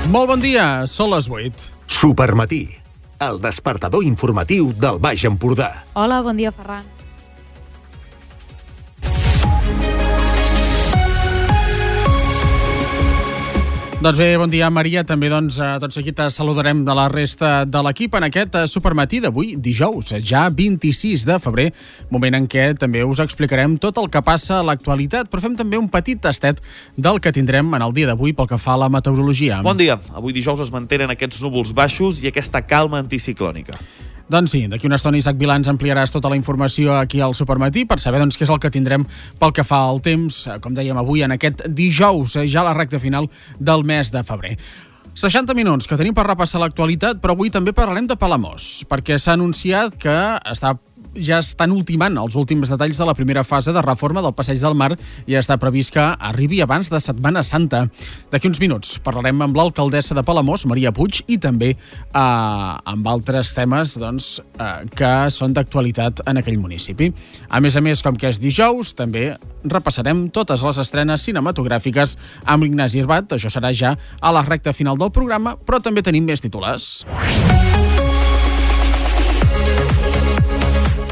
Molt bon dia, són les 8. Supermatí, el despertador informatiu del Baix Empordà. Hola, bon dia, Ferran. Doncs bé, bon dia, Maria. També, tot seguit saludarem de la resta de l'equip en aquest supermatí d'avui, dijous, ja 26 de febrer, moment en què també us explicarem tot el que passa a l'actualitat, però fem també un petit tastet del que tindrem en el dia d'avui pel que fa a la meteorologia. Bon dia. Avui dijous es mantenen aquests núvols baixos i aquesta calma anticiclònica. Doncs sí, d'aquí una estona Isaac Vilà ens ampliaràs tota la informació aquí al Supermatí per saber què és el que tindrem pel que fa al temps, com dèiem avui, en aquest dijous, ja a la recta final del mes de febrer. 60 minuts que tenim per repassar l'actualitat, però avui també parlarem de Palamós, perquè s'ha anunciat que ja estan ultimant els últims detalls de la primera fase de reforma del Passeig del Mar i està previst que arribi abans de Setmana Santa. D'aquí uns minuts parlarem amb l'alcaldessa de Palamós, Maria Puig, i també amb altres temes que són d'actualitat en aquell municipi. A més, com que és dijous, també repassarem totes les estrenes cinematogràfiques amb l'Ignasi Herbat. Això serà ja a la recta final del programa, però també tenim més titulars.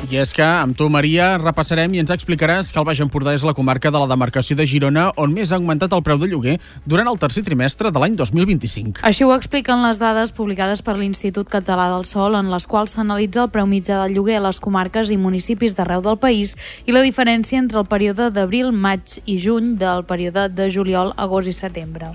I és que amb tu, Maria, repassarem i ens explicaràs que el Baix Empordà és la comarca de la demarcació de Girona on més ha augmentat el preu de lloguer durant el tercer trimestre de l'any 2025. Així ho expliquen les dades publicades per l'Institut Català del Sòl, en les quals s'analitza el preu mitjà del lloguer a les comarques i municipis d'arreu del país i la diferència entre el període d'abril, maig i juny del període de juliol, agost i setembre.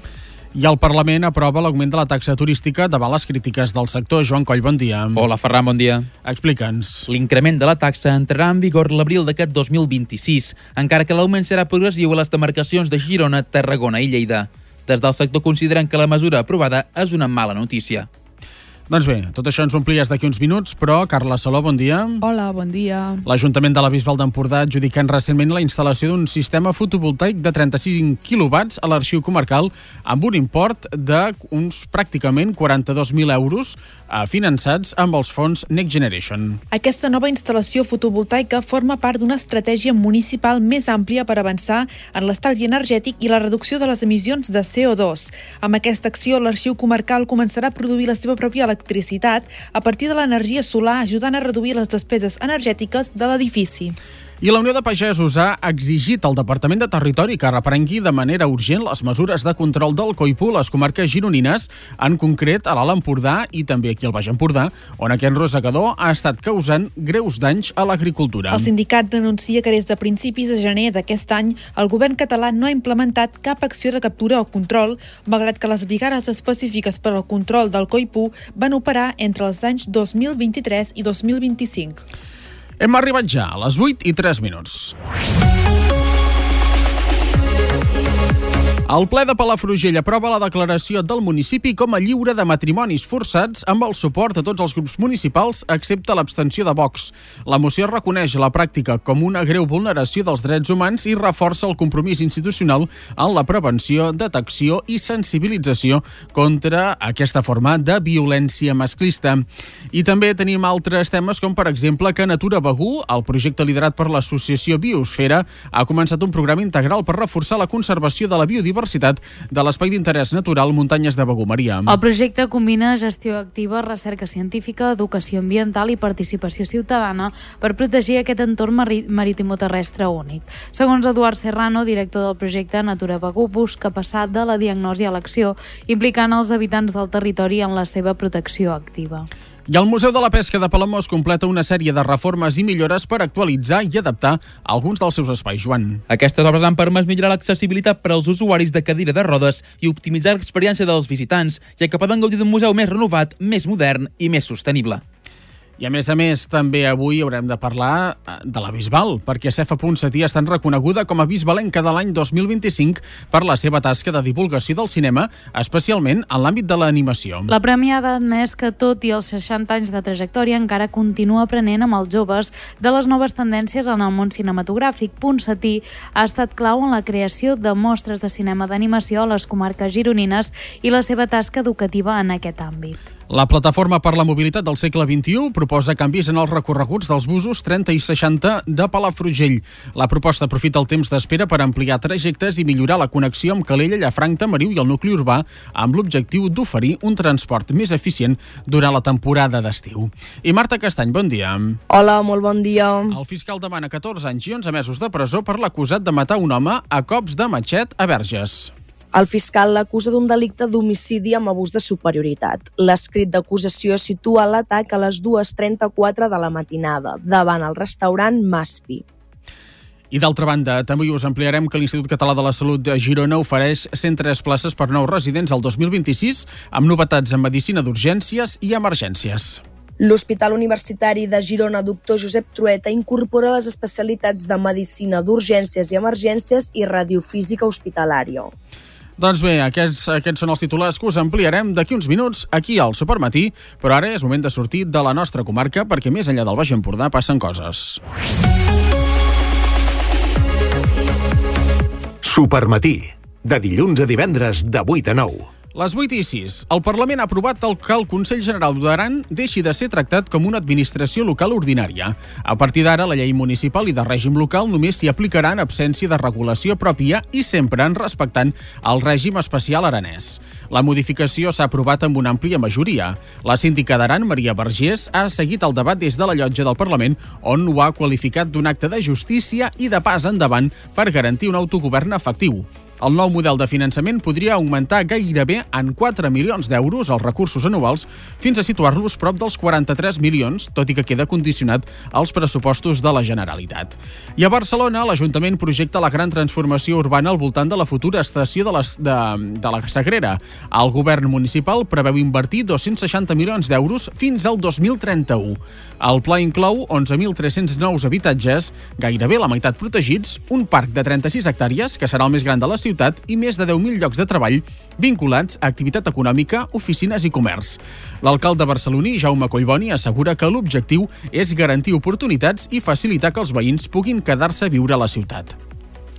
I el Parlament aprova l'augment de la taxa turística davant les crítiques del sector. Joan Coll, bon dia. Hola, Ferran, bon dia. Explica'ns. L'increment de la taxa entrarà en vigor l'abril d'aquest 2026, encara que l'augment serà progressiu a les demarcacions de Girona, Tarragona i Lleida. Des del sector consideren que la mesura aprovada és una mala notícia. Doncs bé, tot això ens omplies d'aquí uns minuts, però Carla Saló, bon dia. Hola, bon dia. L'Ajuntament de la Bisbal d'Empordà ha adjudicat recentment la instal·lació d'un sistema fotovoltaic de 35 quilowatts a l'arxiu comarcal amb un import d'uns pràcticament 42.000 euros finançats amb els fons Next Generation. Aquesta nova instal·lació fotovoltaica forma part d'una estratègia municipal més àmplia per avançar en l'estalvi energètic i la reducció de les emissions de CO2. Amb aquesta acció, l'arxiu comarcal començarà a produir la seva pròpia electricitat a partir de l'energia solar, ajudant a reduir les despeses energètiques de l'edifici. I la Unió de Pagesos ha exigit al Departament de Territori que reprengui de manera urgent les mesures de control del coipú a les comarques gironines, en concret a l'Alt Empordà i també aquí al Baix Empordà, on aquest rosegador ha estat causant greus danys a l'agricultura. El sindicat denuncia que des de principis de gener d'aquest any el govern català no ha implementat cap acció de captura o control, malgrat que les brigades específiques per al control del coipú van operar entre els anys 2023 i 2025. Hem arribat ja a les 8:03. El ple de Palafrugell aprova la declaració del municipi com a lliure de matrimonis forçats amb el suport de tots els grups municipals excepte l'abstenció de Vox. La moció reconeix la pràctica com una greu vulneració dels drets humans i reforça el compromís institucional en la prevenció, detecció i sensibilització contra aquesta forma de violència masclista. I també tenim altres temes com, per exemple, que Natura Begur, el projecte liderat per l'associació Biosfera, ha començat un programa integral per reforçar la conservació de la biodiversitat de l'Espai d'Interès Natural Muntanyes de Begur. Maria. El projecte combina gestió activa, recerca científica, educació ambiental i participació ciutadana per protegir aquest entorn marítimo-terrestre únic. Segons Eduard Serrano, director del projecte, Natura Begur busca passar de la diagnosi a l'acció, implicant els habitants del territori en la seva protecció activa. I el Museu de la Pesca de Palamós completa una sèrie de reformes i millores per actualitzar i adaptar alguns dels seus espais. Joan. Aquestes obres han permès millorar l'accessibilitat per als usuaris de cadira de rodes i optimitzar l'experiència dels visitants, ja que poden gaudir d'un museu més renovat, més modern i més sostenible. I a més, també avui haurem de parlar de la Bisbal, perquè Cefa Ponsatí ha estat reconeguda com a bisbalenca de l'any 2025 per la seva tasca de divulgació del cinema, especialment en l'àmbit de l'animació. La premiada ha admès que, tot i els 60 anys de trajectòria, encara continua aprenent amb els joves de les noves tendències en el món cinematogràfic. Ponsatí ha estat clau en la creació de mostres de cinema d'animació a les comarques gironines i la seva tasca educativa en aquest àmbit. La Plataforma per la Mobilitat del segle XXI proposa canvis en els recorreguts dels busos 30 i 60 de Palafrugell. La proposta aprofita el temps d'espera per ampliar trajectes i millorar la connexió amb Calella, Llafranc, Tamariu i el nucli urbà, amb l'objectiu d'oferir un transport més eficient durant la temporada d'estiu. I Marta Castany, bon dia. Hola, molt bon dia. El fiscal demana 14 anys i 11 mesos de presó per l'acusat de matar un home a cops de matxet a Verges. El fiscal l'acusa d'un delicte d'homicidi amb abús de superioritat. L'escrit d'acusació situa l'atac a les 2:34 de la matinada, davant el restaurant Maspi. I d'altra banda, també us ampliarem que l'Institut Català de la Salut de Girona ofereix 103 places per nous residents al 2026, amb novetats en medicina d'urgències i emergències. L'Hospital Universitari de Girona Dr. Josep Trueta incorpora les especialitats de medicina d'urgències i emergències i radiofísica hospitalària. Doncs bé, aquests són els titulars que us ampliarem d'aquí uns minuts aquí al Supermatí, però ara és moment de sortir de la nostra comarca perquè més enllà del Baix Empordà passen coses. Supermatí, de dilluns a divendres de 8 a 9. Les 8:06. El Parlament ha aprovat que el Consell General d'Aran deixi de ser tractat com una administració local ordinària. A partir d'ara, la llei municipal i de règim local només s'hi aplicarà en absència de regulació pròpia i sempre en respectant el règim especial aranès. La modificació s'ha aprovat amb una àmplia majoria. La síndica d'Aran, Maria Vergés, ha seguit el debat des de la llotja del Parlament, on ho ha qualificat d'un acte de justícia i de pas endavant per garantir un autogovern efectiu. El nou model de finançament podria augmentar gairebé en 4 milions d'euros els recursos anuals fins a situar-los prop dels 43 milions, tot i que queda condicionat als pressupostos de la Generalitat. I a Barcelona, l'Ajuntament projecta la gran transformació urbana al voltant de la futura estació de la Sagrera. El govern municipal preveu invertir 260 milions d'euros fins al 2031. El pla inclou 11.300 nous habitatges, gairebé la meitat protegits, un parc de 36 hectàrees, que serà el més gran de la ciutat, i més de 10.000 llocs de treball vinculats a activitat econòmica, oficines i comerç. L'alcalde barceloní, Jaume Collboni, assegura que l'objectiu és garantir oportunitats i facilitar que els veïns puguin quedar-se a viure a la ciutat.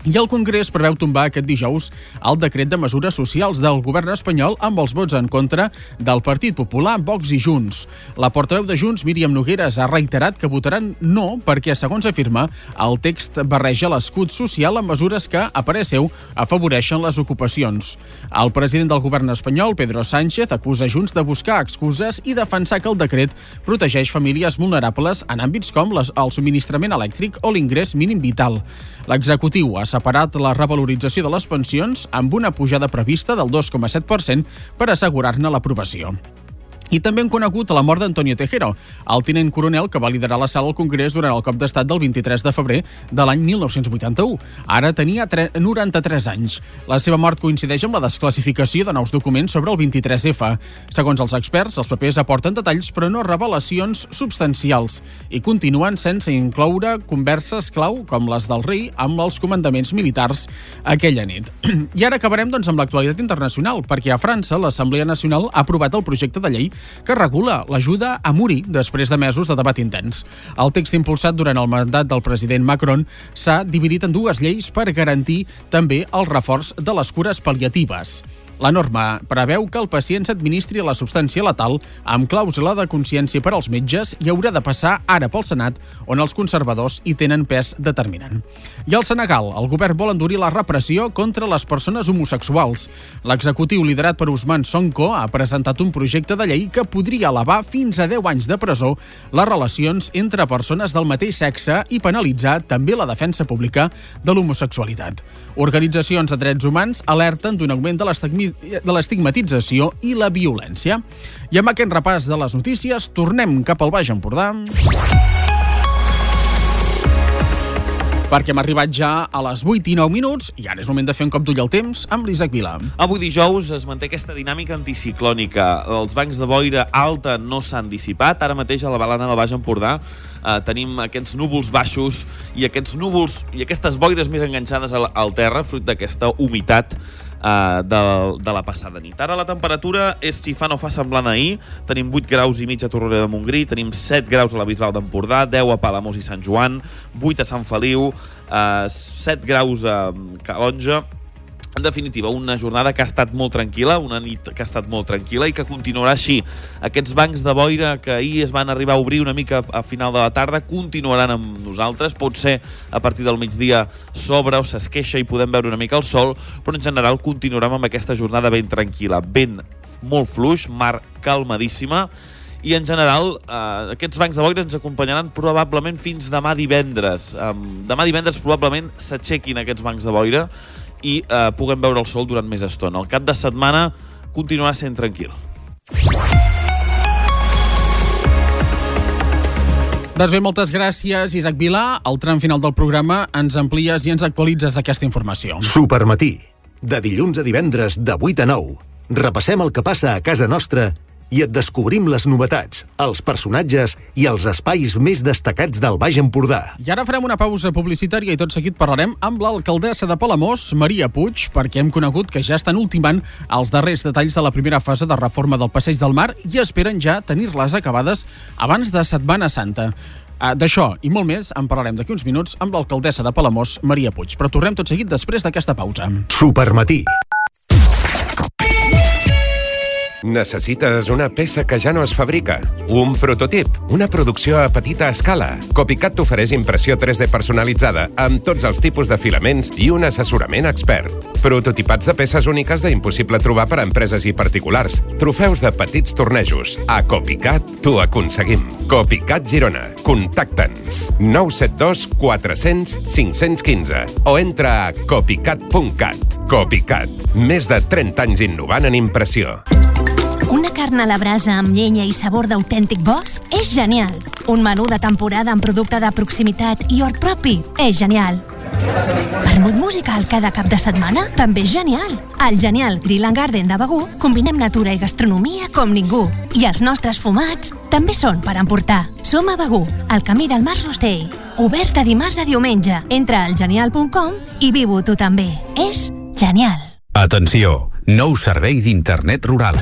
I el Congrés preveu tombar aquest dijous el decret de mesures socials del govern espanyol amb els vots en contra del Partit Popular, Vox i Junts. La portaveu de Junts, Míriam Nogueras, ha reiterat que votaran no perquè, segons afirma, el text barreja l'escut social amb mesures que, a parer seu, afavoreixen les ocupacions. El president del govern espanyol, Pedro Sánchez, acusa Junts de buscar excuses i defensar que el decret protegeix famílies vulnerables en àmbits com el subministrament elèctric o l'ingrés mínim vital. L'executiu ha separat la revalorització de les pensions amb una pujada prevista del 2,7% per assegurar-ne l'aprovació. I també hem conegut la mort d'Antonio Tejero, el tinent coronel que va liderar la sala al Congrés durant el cop d'estat del 23 de febrer de l'any 1981. Ara tenia 93 anys. La seva mort coincideix amb la desclassificació de nous documents sobre el 23F. Segons els experts, els papers aporten detalls però no revelacions substancials i continuen sense incloure converses clau com les del rei amb els comandaments militars aquella nit. I ara acabarem amb l'actualitat internacional, perquè a França l'Assemblea Nacional ha aprovat el projecte de llei que regula l'ajuda a morir després de mesos de debat intens. El text impulsat durant el mandat del president Macron s'ha dividit en dues lleis per garantir també el reforç de les cures pal·liatives. La norma preveu que el pacient s'administri la substància letal amb clàusula de consciència per als metges i haurà de passar ara pel Senat, on els conservadors hi tenen pes determinant. I al Senegal, el govern vol endurir la repressió contra les persones homosexuals. L'executiu liderat per Ousmane Sonko ha presentat un projecte de llei que podria elevar fins a 10 anys de presó les relacions entre persones del mateix sexe i penalitzar també la defensa pública de l'homosexualitat. Organitzacions de drets humans alerten d'un augment de l'estigmatització i la violència. I amb aquest repàs de les notícies, tornem cap al Baix Empordà, perquè hem arribat ja a les 8:09 i ara és moment de fer un cop d'ull al temps amb l'Isaac Vila. Avui dijous es manté aquesta dinàmica anticiclònica. Els bancs de boira alta no s'han dissipat. Ara mateix a la Balana del Baix Empordà tenim aquests núvols baixos i aquests núvols i aquestes boires més enganxades al terra, fruit d'aquesta humitat de la passada nit. Ara la temperatura és, si fa no fa, semblant a ahir. Tenim 8 graus i mig a Torroella de Montgrí, tenim 7 graus a la Bisbal d'Empordà, 10 a Palamós i Sant Joan, 8 a Sant Feliu, 7 graus a Calonja, En definitiva, una jornada que ha estat molt tranquil·la, una nit que ha estat molt tranquil·la i que continuarà així. Aquests bancs de boira que ahir es van arribar a obrir una mica a final de la tarda continuaran amb nosaltres. Pot ser a partir del migdia s'obre o s'esqueixa i podem veure una mica el sol, però en general continuarem amb aquesta jornada ben tranquil·la. Vent molt fluix, mar calmadíssima, i en general aquests bancs de boira ens acompanyaran probablement fins demà divendres. Demà divendres probablement s'aixequin aquests bancs de boira i puguem veure el sol durant més estona. El cap de setmana continuarà sent tranquil. Doncs bé, moltes gràcies, Isaac Vilà. Al tram final del programa ens amplies i ens actualitzes aquesta informació. Supermatí, de dilluns a divendres de 8 a 9. Repassem el que passa a casa nostra i et descobrim les novetats, els personatges i els espais més destacats del Baix Empordà. I ara farem una pausa publicitària i tot seguit parlarem amb l'alcaldessa de Palamós, Maria Puig, perquè hem conegut que ja estan ultimant els darrers detalls de la primera fase de reforma del Passeig del Mar i esperen ja tenir-les acabades abans de Setmana Santa. D'això i molt més en parlarem d'aquí uns minuts amb l'alcaldessa de Palamós, Maria Puig. Però tornem tot seguit després d'aquesta pausa. Supermatí. Necessites una peça que ja no es fabrica? Un prototip? Una producció a petita escala? Copycat t'ofereix impressió 3D personalitzada amb tots els tipus de filaments i un assessorament expert. Prototipats de peces úniques d'impossible trobar per a empreses i particulars. Trofeus de petits tornejos. A Copycat t'ho aconseguim. Copycat Girona. Contacta'ns. 972 400 515 o entra a copycat.cat. Copycat. Més de 30 anys innovant en impressió. Una carn a la brasa amb llenya i sabor d'autèntic bosc és genial. Un menú de temporada amb producte de proximitat i hort propi és genial. Vermut musical cada cap de setmana també és genial. Al Genial Grill and Garden de Begur combinem natura i gastronomia com ningú. I els nostres fumats també són per emportar. Som a Begur, al camí del Mas Rostell. Oberts de dimarts a diumenge. Entra al genial.com i viu-ho tu també. És genial. Atenció, nou servei d'internet rural.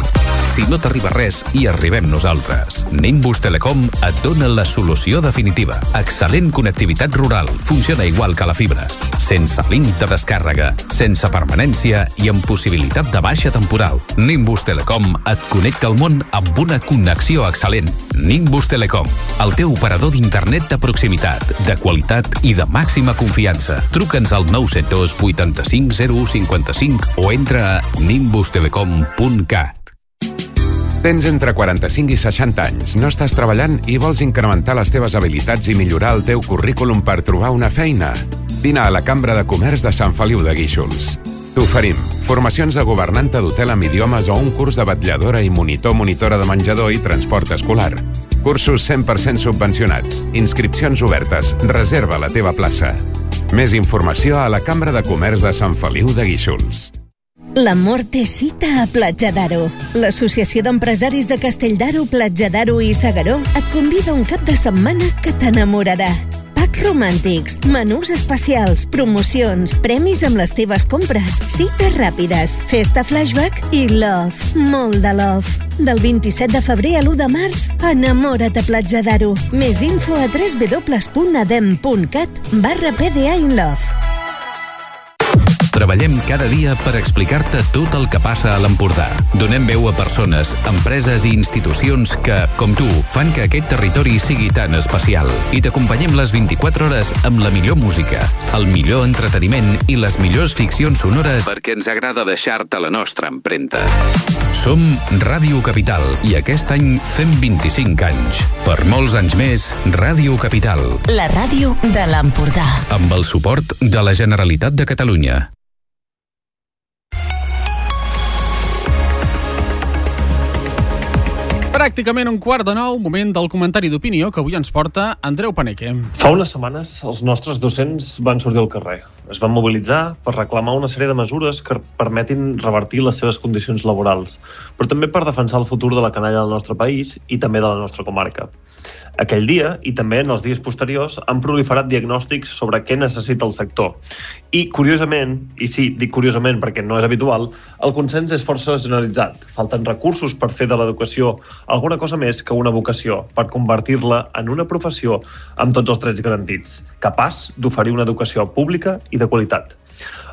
Si no t'arriba res, hi arribem nosaltres. Nimbus Telecom et dona la solució definitiva. Excel·lent connectivitat rural. Funciona igual que la fibra. Sense límit de descàrrega, sense permanència i amb possibilitat de baixa temporal. Nimbus Telecom et connecta al món amb una connexió excel·lent. Nimbus Telecom, el teu operador d'internet de proximitat, de qualitat i de màxima confiança. Truca'ns al 972 85 0155 o entra a nimbustelecom.cat. Tens entre 45 i 60 anys, no estàs treballant i vols incrementar les teves habilitats i millorar el teu currículum per trobar una feina? Vine a la Cambra de Comerç de Sant Feliu de Guíxols. T'oferim formacions de governanta d'hotel amb idiomes o un curs de vetlladora i monitora de menjador i transport escolar. Cursos 100% subvencionats, inscripcions obertes, reserva la teva plaça. Més informació a la Cambra de Comerç de Sant Feliu de Guíxols. L'amor té cita a Platja d'Aro. L'Associació d'Empresaris de Castelldaro, Platja d'Aro i S'Agaró et convida un cap de setmana que t'enamorarà. Packs romàntics, menús especials, promocions, premis amb les teves compres, cites ràpides, festa flashback i love, molt de love. Del 27 de febrer a l'1 de març, enamora't a Platja d'Aro. Més info a www.adem.cat/PDA-InLove. Treballem cada dia per explicar-te tot el que passa a l'Empordà. Donem veu a persones, empreses i institucions que, com tu, fan que aquest territori sigui tan especial. I t'acompanyem les 24 hores amb la millor música, el millor entreteniment i les millors ficcions sonores perquè ens agrada deixar-te la nostra empremta. Som Ràdio Capital i aquest any fem 25 anys. Per molts anys més, Ràdio Capital. La ràdio de l'Empordà. Amb el suport de la Generalitat de Catalunya. Pràcticament 8:45, moment del comentari d'opinió que avui ens porta Andreu Paneque. Fa unes setmanes els nostres docents van sortir al carrer. Es van mobilitzar per reclamar una sèrie de mesures que permetin revertir les seves condicions laborals, però també per defensar el futur de la canalla del nostre país i també de la nostra comarca. Aquell dia, i també en els dies posteriors, han proliferat diagnòstics sobre què necessita el sector. I, curiosament, i sí, dic curiosament perquè no és habitual, el consens és força generalitzat. Falten recursos per fer de l'educació alguna cosa més que una vocació, per convertir-la en una professió amb tots els drets garantits, capaç d'oferir una educació pública i de qualitat.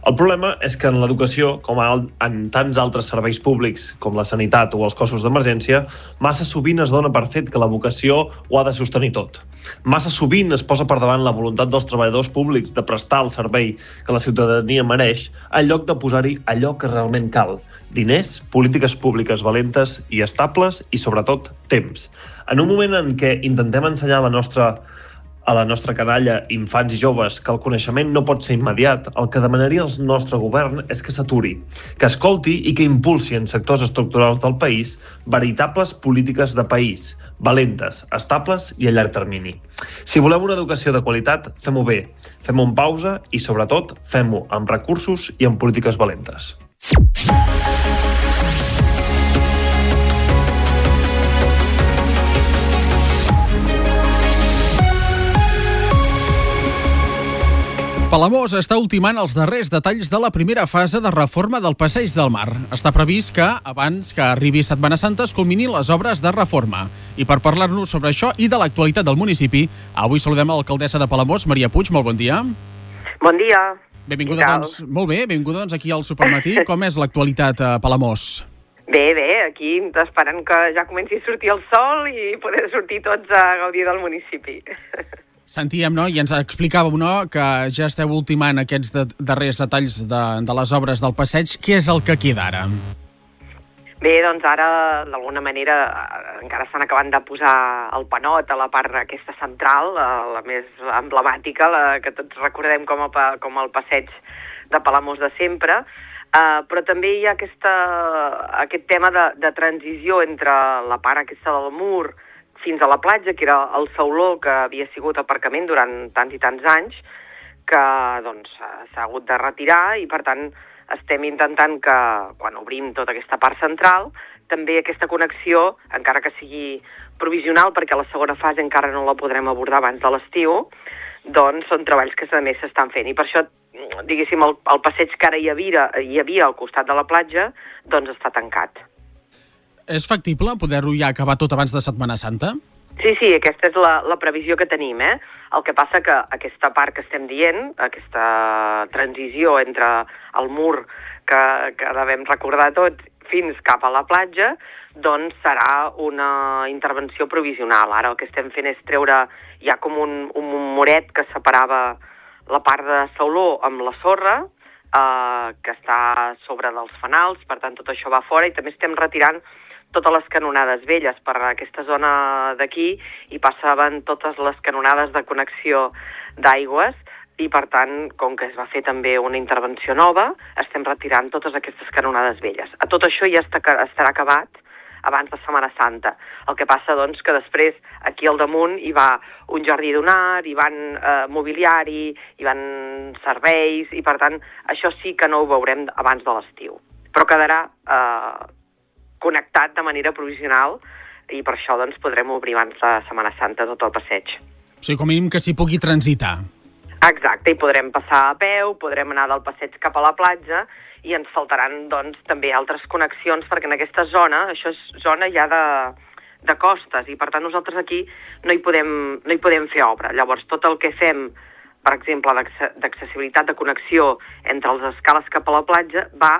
El problema és que en l'educació, com en tants altres serveis públics, com la sanitat o els cossos d'emergència, massa sovint es dona per fet que la vocació ho ha de sostenir tot. Massa sovint es posa per davant la voluntat dels treballadors públics de prestar el servei que la ciutadania mereix, en lloc de posar-hi allò que realment cal: diners, polítiques públiques valentes i estables i, sobretot, temps. En un moment en què intentem ensenyar a la nostra canalla, infants i joves, que el coneixement no pot ser immediat, el que demanaria el nostre govern és que s'aturi, que escolti i que impulsi en sectors estructurals del país veritables polítiques de país, valentes, estables i a llarg termini. Si volem una educació de qualitat, fem-ho bé, fem-ho en pausa i, sobretot, fem-ho amb recursos i amb polítiques valentes. Palamós està ultimant els darrers detalls de la primera fase de reforma del Passeig del Mar. Està previst que, abans que arribi Setmana Santa, es culminin les obres de reforma. I per parlar-nos sobre això i de l'actualitat del municipi, avui saludem a l'alcaldessa de Palamós, Maria Puig. Molt bon dia. Bon dia. Benvinguda, doncs. Molt bé, benvinguda doncs aquí al Supermatí. Com és l'actualitat a Palamós? Bé, aquí esperant que ja comenci a sortir el sol i poder sortir tots a gaudir del municipi. Sentíem, no?, i ens explicàveu, no?, que ja esteu ultimant aquests darrers detalls de les obres del passeig. Què és el que queda ara? Bé, doncs ara, d'alguna manera, encara estan acabant de posar el panot a la part aquesta central, la més emblemàtica, la que tots recordem com el passeig de Palamós de sempre, però també hi ha aquest tema de transició entre la part aquesta del mur fins a la platja, que era el sauló que havia sigut aparcament durant tants i tants anys, que doncs s'ha hagut de retirar i per tant estem intentant que quan obrim tota aquesta part central també aquesta connexió, encara que sigui provisional perquè la segona fase encara no la podrem abordar abans de l'estiu, doncs són treballs que també s'estan fent i per això, diguéssim, el passeig que ara hi havia al costat de la platja doncs està tancat. És factible poder-ho ja acabar tot abans de Setmana Santa? Sí, aquesta és la previsió que tenim, El que passa que aquesta part que estem dient, aquesta transició entre el mur que devem recordar tots fins cap a la platja, doncs serà una intervenció provisional. Ara el que estem fent és treure, hi ha com un muret que separava la part de sauló amb la sorra, que està sobre dels fanals, per tant tot això va fora i també estem retirant totes les canonades velles per aquesta zona d'aquí i passaven totes les canonades de connexió d'aigües i, per tant, com que es va fer també una intervenció nova, estem retirant totes aquestes canonades velles. A tot això ja estarà acabat abans de Setmana Santa. El que passa, doncs, que després aquí al damunt hi va un jardí donar, hi van mobiliari, hi van serveis i, per tant, això sí que no ho veurem abans de l'estiu. Però quedarà connectat de manera provisional i per això doncs, podrem obrir abans de Setmana Santa tot el passeig. O sigui, com a mínim que s'hi pugui transitar. Exacte, i podrem passar a peu, podrem anar del passeig cap a la platja i ens faltaran doncs, també altres connexions perquè en aquesta zona, això és zona ja de costes i per tant nosaltres aquí no hi podem fer obra. Llavors tot el que fem, per exemple, d'accessibilitat, de connexió entre les escales cap a la platja va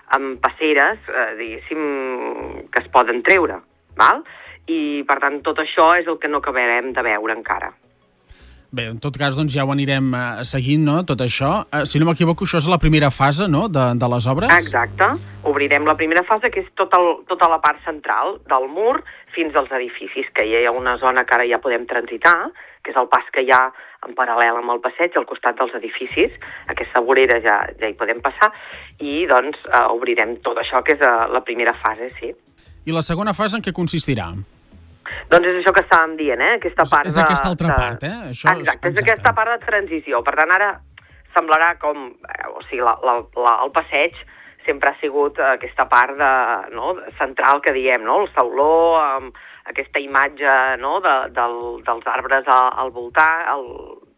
amb passeres, diguéssim, que es poden treure, val? I, per tant, tot això és el que no acabarem de veure encara. Bé, en tot cas, doncs ja ho anirem seguint, no?, tot això. Si no m'equivoco, això és la primera fase, no?, de les obres? Exacte. Obrirem la primera fase, que és tota la part central del mur fins als edificis, que hi ha una zona que ara ja podem transitar, que és el pas que hi ha en paral·lel amb el passeig, al costat dels edificis. Aquesta vorera ja hi podem passar i, doncs, obrirem tot això, que és la primera fase, sí. I la segona fase en què consistirà? Doncs és això que estàvem dient, aquesta part és aquesta altra part, Això exacte, és aquesta part de transició. Per tant, ara semblarà com... O sigui, el passeig sempre ha sigut aquesta part central que diem, no? El sauló, amb aquesta imatge dels arbres al voltant,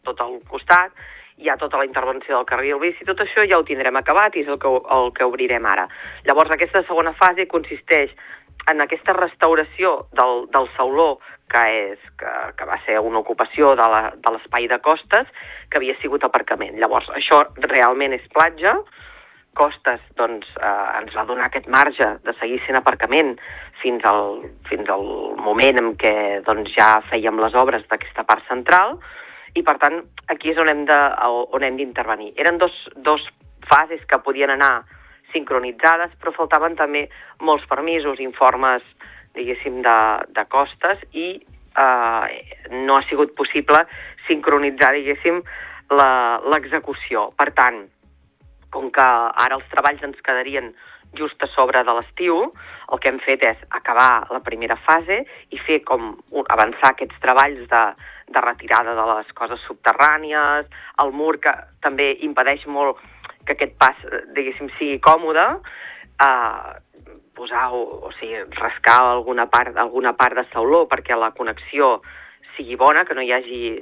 tot al costat, hi ha tota la intervenció del carril bici, tot això ja ho tindrem acabat i és el que obrirem ara. Llavors, aquesta segona fase consisteix en aquesta restauració del sauló, que va ser una ocupació de l'espai de costes, que havia sigut aparcament. Llavors, això realment és platja. Costes, doncs, ens va donar aquest marge de seguir sent aparcament fins al moment en què doncs, ja fèiem les obres d'aquesta part central, i per tant aquí és on hem d'intervenir. Eren dos fases que podien anar sincronitzades, però faltaven també molts permisos, informes, diguéssim, de costes, i no ha sigut possible sincronitzar, diguéssim, l'execució. Per tant, com que ara els treballs ens quedarien just a sobre de l'estiu, el que hem fet és acabar la primera fase i fer avançar aquests treballs de retirada de les coses subterrànies, el mur que també impedeix molt que aquest pas, diguéssim, sigui còmode, rascar alguna part de sauló perquè la connexió sigui bona, que no hi hagi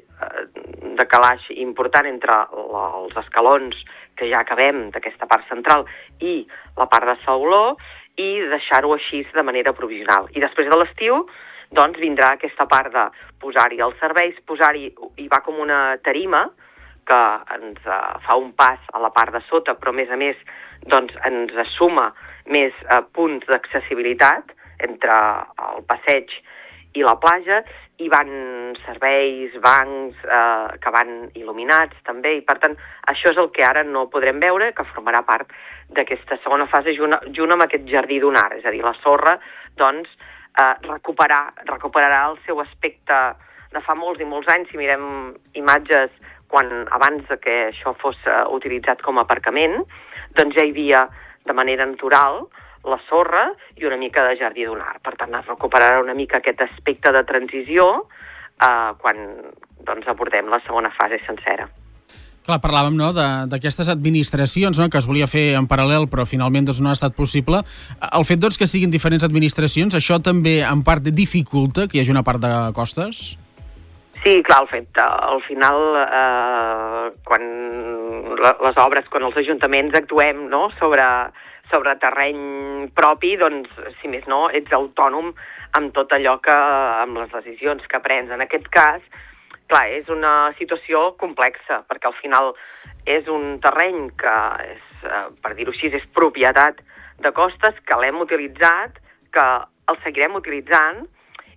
decalaix important entre els escalons que ja acabem d'aquesta part central i la part de sauló, i deixar-ho així de manera provisional. I després de l'estiu, doncs, vindrà aquesta part de posar-hi els serveis, hi va com una tarima que ens fa un pas a la part de sota, però a més, doncs, ens suma més punts d'accessibilitat entre el passeig i la platja, hi van serveis, bancs que van il·luminats també, i per tant això és el que ara no podrem veure, que formarà part d'aquesta segona fase junt amb aquest jardí dunar, és a dir, la sorra doncs recuperarà el seu aspecte de fa molts i molts anys. Si mirem imatges abans que això fos utilitzat com a aparcament, doncs ja hi havia de manera natural la sorra i una mica de jardí dunar. Per tant, es recuperarà una mica aquest aspecte de transició quan doncs, abordem la segona fase sencera. Clar, parlàvem d'aquestes administracions que es volia fer en paral·lel, però finalment doncs, no ha estat possible. El fet doncs, que siguin diferents administracions, això també en part dificulta que hi hagi una part de costes? Sí, clar, al final, quan les obres, quan els ajuntaments actuem sobre terreny propi, doncs, si més no, ets autònom amb tot allò amb les decisions que prens. En aquest cas, clar, és una situació complexa, perquè al final és un terreny que, per dir-ho així, és propietat de costes, que l'hem utilitzat, que el seguirem utilitzant,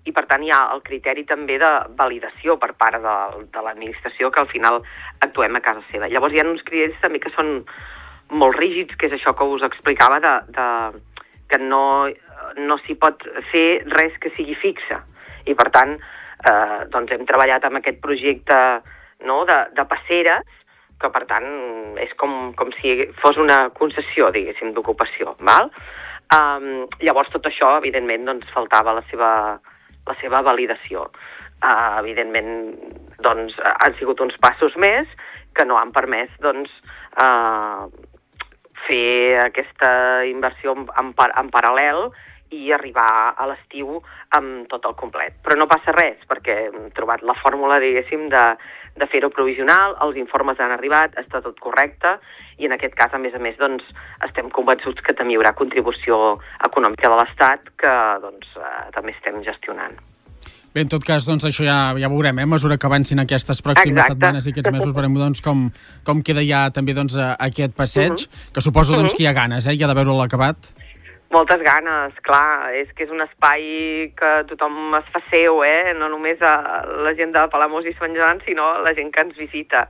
i per tant hi ha el criteri també de validació per part de l'administració, que al final actuem a casa seva. Llavors hi ha uns criteris també que són molt rígids, que és això que us explicava, que no s'hi pot fer res que sigui fixe. I per tant, doncs hem treballat amb aquest projecte de passeres, que per tant és com si fos una concessió, diguéssim, d'ocupació. Llavors tot això, evidentment, doncs faltava la seva validació. Evidentment, doncs, han sigut uns passos més que no han permès, doncs, fer aquesta inversió en paral·lel i arribar a l'estiu amb tot el complet. Però no passa res, perquè hem trobat la fórmula, diguéssim, de fer-ho provisional, els informes han arribat, està tot correcte, i en aquest cas, a més, doncs, estem convençuts que també hi haurà contribució econòmica de l'Estat, que doncs, també estem gestionant. Bé, en tot cas, doncs, això ja veurem, a mesura que avancin aquestes pròximes setmanes i aquests mesos, veurem doncs, com queda ja també doncs, aquest passeig, que suposo doncs, que hi ha ganes, hi ha de veure l'acabat. Moltes ganes, clar, és que és un espai que tothom es fa seu, no només la gent de Palamós i Sant Joan, sinó la gent que ens visita.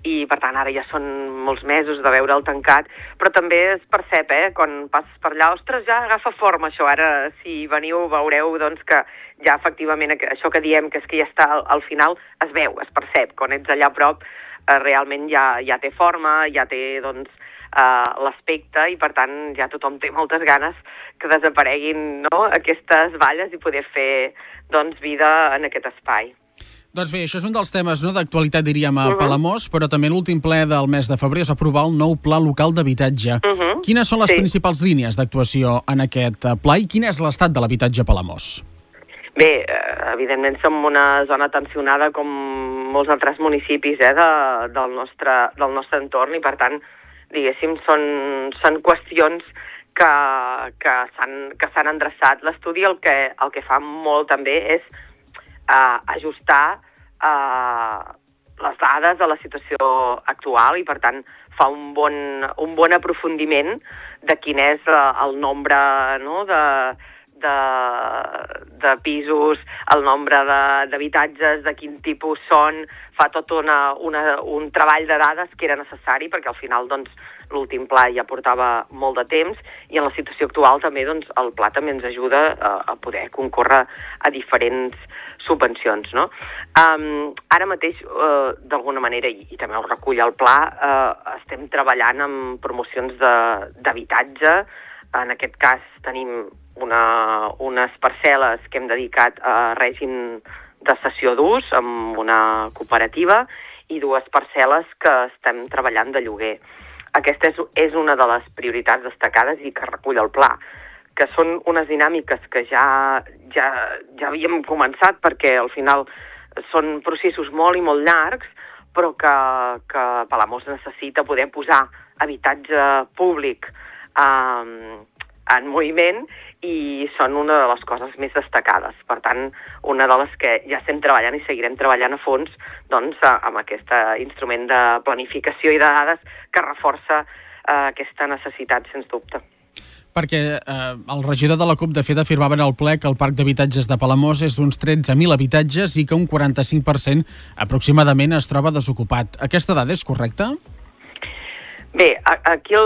I, per tant, ara ja són molts mesos de veure'l tancat, però també es percep, quan passes per allà, ostres, ja agafa forma això, ara si veniu veureu doncs, que ja efectivament això que diem, que és que ja està al final, es veu, es percep, quan ets allà a prop realment ja té forma, ja té doncs, l'aspecte, i per tant ja tothom té moltes ganes que desapareguin aquestes valles i poder fer doncs, vida en aquest espai. Doncs bé, això és un dels temes d'actualitat, diríem, a Palamós, però també l'últim ple del mes de febrer es va aprovar el nou Pla Local d'Habitatge. Quines són les principals línies d'actuació en aquest pla i quin és l'estat de l'habitatge a Palamós? Bé, evidentment som una zona tensionada com molts altres municipis del nostre entorn, i per tant, diguéssim, són qüestions que s'han endreçat. L'estudi el que fa molt també és ajustar les dades a la situació actual i, per tant, fa un bon aprofundiment de quin és el nombre, no?, de pisos, el nombre d'habitatges, de quin tipus són, fa tot un treball de dades que era necessari, perquè al final doncs, l'últim pla ja portava molt de temps i en la situació actual també doncs, el pla també ens ajuda a poder concórrer a diferents subvencions. No? Ara mateix, d'alguna manera, i també ho recull el pla, estem treballant amb promocions d'habitatge. En aquest cas tenim unes parcel·les que hem dedicat a règim de cessió d'ús amb una cooperativa i 2 parcel·les que estem treballant de lloguer. Aquesta és una de les prioritats destacades i que recull el pla, que són unes dinàmiques que ja havíem començat perquè al final són processos molt i molt llargs, però que Palamós necessita poder posar habitatge públic en moviment i són una de les coses més destacades. Per tant, una de les que ja estem treballant i seguirem treballant a fons doncs, amb aquest instrument de planificació i de dades que reforça aquesta necessitat, sens dubte. Perquè el regidor de la CUP, de fet, afirmava en el ple que el parc d'habitatges de Palamós és d'uns 13.000 habitatges i que un 45% aproximadament es troba desocupat. Aquesta dada és correcta? Bé, aquí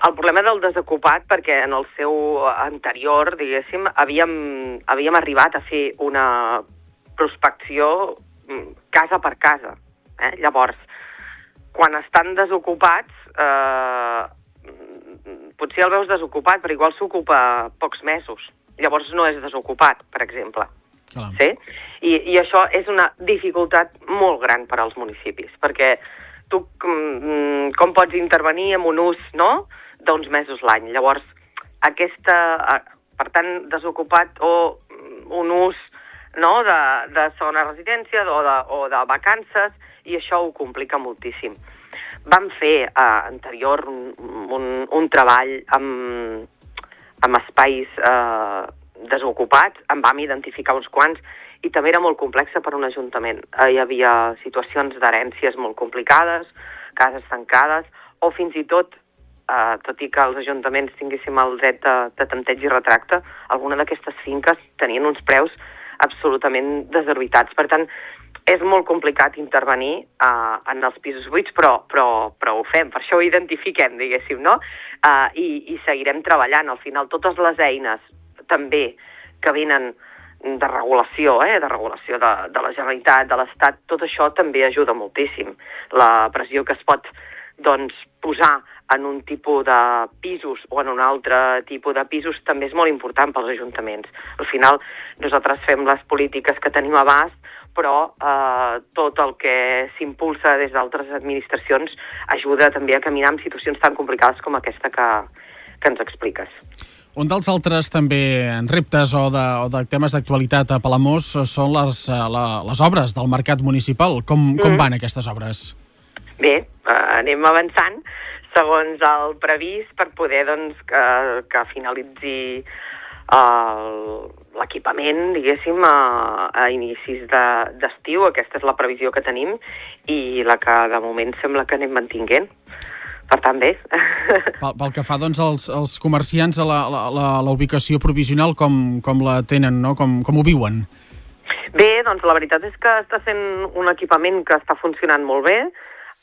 el problema del desocupat, perquè en el seu anterior, diguéssim, havíem arribat a fer una prospecció casa per casa. Llavors, quan estan desocupats, potser el veus desocupat, però igual s'ocupa pocs mesos. Llavors no és desocupat, per exemple. Sí? I això és una dificultat molt gran per als municipis, perquè tu com pots intervenir en un ús, no?, d'uns mesos l'any. Llavors, per tant, desocupat o un ús, no?, de segona residència o de vacances, i això ho complica moltíssim. Vam fer anterior un treball amb espais desocupats, en vam identificar uns quants, i també era molt complexa per un ajuntament. Hi havia situacions d'herències molt complicades, cases tancades, o fins i tot i que els ajuntaments tinguéssim el dret de tanteig i retracte, alguna d'aquestes finques tenien uns preus absolutament desorbitats. Per tant, és molt complicat intervenir en els pisos buits, però ho fem, per això ho identifiquem, diguéssim, no? I seguirem treballant. Al final, totes les eines també que venen de regulació, de regulació de la Generalitat, de l'Estat, tot això també ajuda moltíssim. La pressió que es pot posar en un tipus de pisos o en un altre tipus de pisos també és molt important pels ajuntaments. Al final, nosaltres fem les polítiques que tenim a abast, però tot el que s'impulsa des d'altres administracions ajuda també a caminar en situacions tan complicades com aquesta que ens expliques. Un dels altres també reptes o de temes d'actualitat a Palamós són les obres del mercat municipal. Com van aquestes obres? Bé, anem avançant segons el previst per poder que finalitzi l'equipament, diguéssim, a inicis d'estiu. Aquesta és la previsió que tenim i la que de moment sembla que anem mantinguent. Per tant, bé. Pel que fa als comerciants, a la ubicació provisional, com la tenen, no? Com ho viuen? Bé, doncs la veritat és que està sent un equipament que està funcionant molt bé,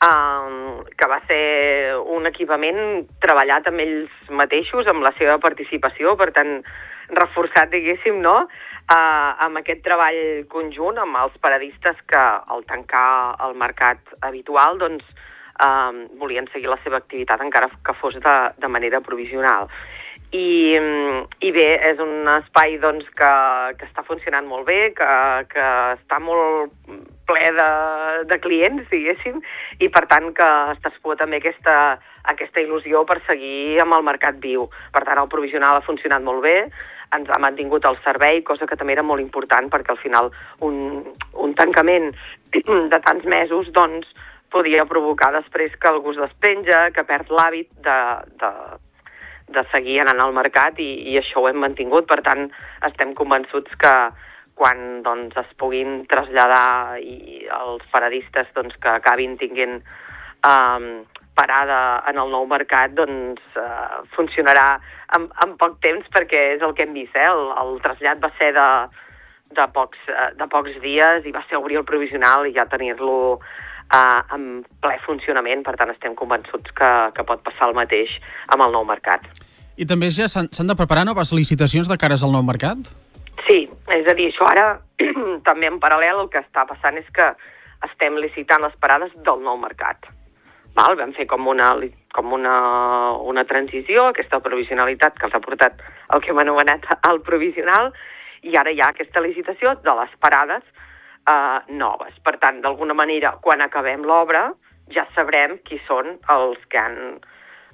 que va ser un equipament treballat amb ells mateixos, amb la seva participació, per tant, reforçat, diguéssim, no?, amb aquest treball conjunt amb els paradistes que, al tancar el mercat habitual, doncs, volien seguir la seva activitat encara que fos de manera provisional. I bé, és un espai doncs, que està funcionant molt bé, que està molt ple de clients, diguéssim, i per tant que es trasposa també aquesta il·lusió per seguir amb el mercat viu. Per tant, el provisional ha funcionat molt bé, ens ha mantingut el servei, cosa que també era molt important perquè al final un tancament de tants mesos doncs, podia provocar després que algú es despenja, que perd l'hàbit seguir anant al mercat i això ho hem mantingut. Per tant, estem convençuts que quan doncs, es puguin traslladar i els paradistes doncs, que acabin tinguent parada en el nou mercat, doncs funcionarà en poc temps, perquè és el que hem vist. El trasllat va ser de pocs dies i va ser obrir el provisional i ja tenir-lo en ple funcionament. Per tant, estem convençuts que pot passar el mateix amb el nou mercat. I també ja s'han de preparar noves licitacions de cares al nou mercat? Sí, és a dir, això ara també en paral·lel el que està passant és que estem licitant les parades del nou mercat. Val? Vam fer com una transició, aquesta provisionalitat que els ha portat el que hem anomenat el provisional, i ara hi ha aquesta licitació de les parades noves. Per tant, d'alguna manera, quan acabem l'obra, ja sabrem qui són els que han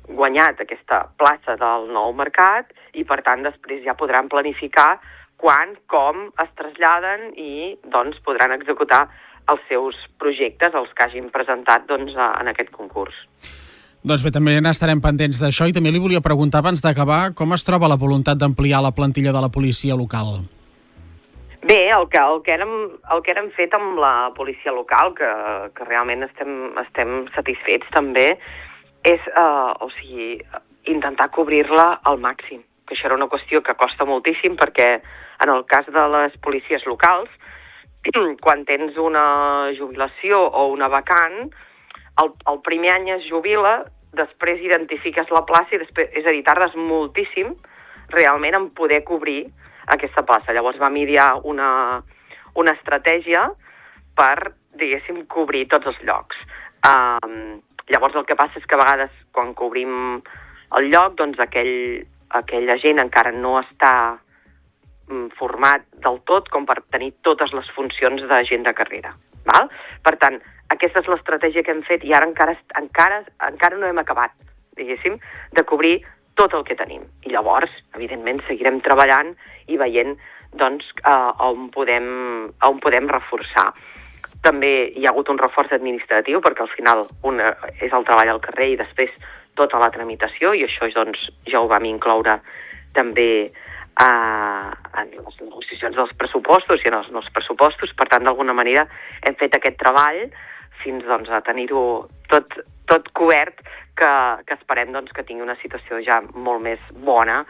guanyat aquesta plaça del nou mercat i, per tant, després ja podran planificar quan, com es traslladen i doncs, podran executar els seus projectes, els que hagin presentat doncs, en aquest concurs. Doncs bé, també n'estarem pendents d'això i també li volia preguntar abans d'acabar com es troba la voluntat d'ampliar la plantilla de la policia local. Bé, el que hem fet amb la policia local, que realment estem satisfets també, és intentar cobrir-la al màxim, que això era una qüestió que costa moltíssim perquè en el cas de les policies locals, quan tens una jubilació o una vacant, el primer any es jubila, després identifiques la plaça i després, és a dir, tardes moltíssim realment en poder cobrir aquesta plaça. Llavors vam idear una estratègia per, diguéssim, cobrir tots els llocs. Llavors el que passa és que a vegades quan cobrim el lloc, doncs aquella gent encara no està format del tot com per tenir totes les funcions d'agent de carrera. Val? Per tant, aquesta és l'estratègia que hem fet i ara encara no hem acabat, diguéssim, de cobrir tot el que tenim. I llavors, evidentment, seguirem treballant i veient doncs, on podem reforçar. També hi ha hagut un reforç administratiu perquè al final és el treball al carrer i després tota la tramitació i això doncs, ja ho vam incloure també en les negociacions dels pressupostos i en els pressupostos. Per tant, d'alguna manera hem fet aquest treball fins doncs, a tenir-ho tot cobert que esperem doncs, que tingui una situació ja molt més bona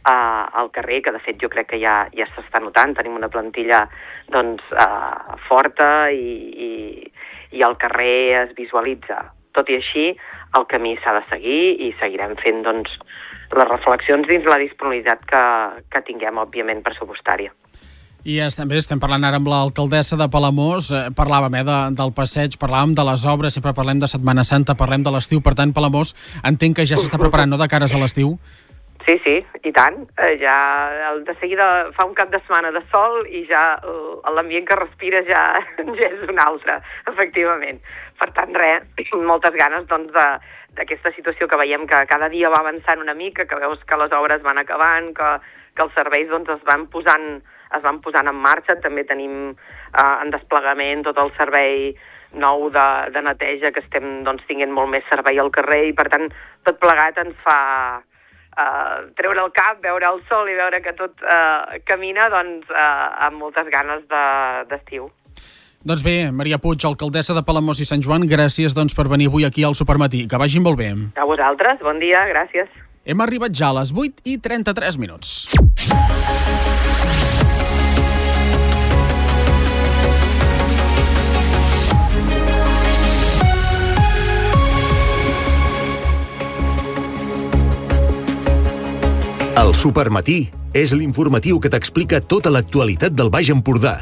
al carrer, que de fet jo crec que ja s'està notant. Tenim una plantilla doncs, forta i al carrer es visualitza. Tot i així, el camí s'ha de seguir i seguirem fent doncs, les reflexions dins la disponibilitat que tinguem, òbviament, pressupostària. I també estem parlant ara amb l'alcaldessa de Palamós, parlàvem del passeig, parlàvem de les obres, sempre parlem de Setmana Santa, parlem de l'estiu, per tant, Palamós entenc que ja s'està preparant, no?, de cares a l'estiu? Sí, i tant. Ja de seguida fa un cap de setmana de sol i ja l'ambient que respira ja és un altre, efectivament. Per tant, moltes ganes doncs, d'aquesta situació que veiem que cada dia va avançant una mica, que veus que les obres van acabant, que els serveis doncs, es van posant en marxa. També tenim en desplegament tot el servei nou de neteja, que estem doncs, tinguent molt més servei al carrer i, per tant, tot plegat ens fa treure el cap, veure el sol i veure que tot camina doncs, amb moltes ganes d'estiu. Doncs bé, Maria Puig, alcaldessa de Palamós i Sant Joan, gràcies doncs, per venir avui aquí al Supermatí. Que vagi molt bé. A vosaltres, bon dia, gràcies. Hem arribat ja a les 8:33 minuts. El Supermatí és l'informatiu que t'explica tota l'actualitat del Baix Empordà.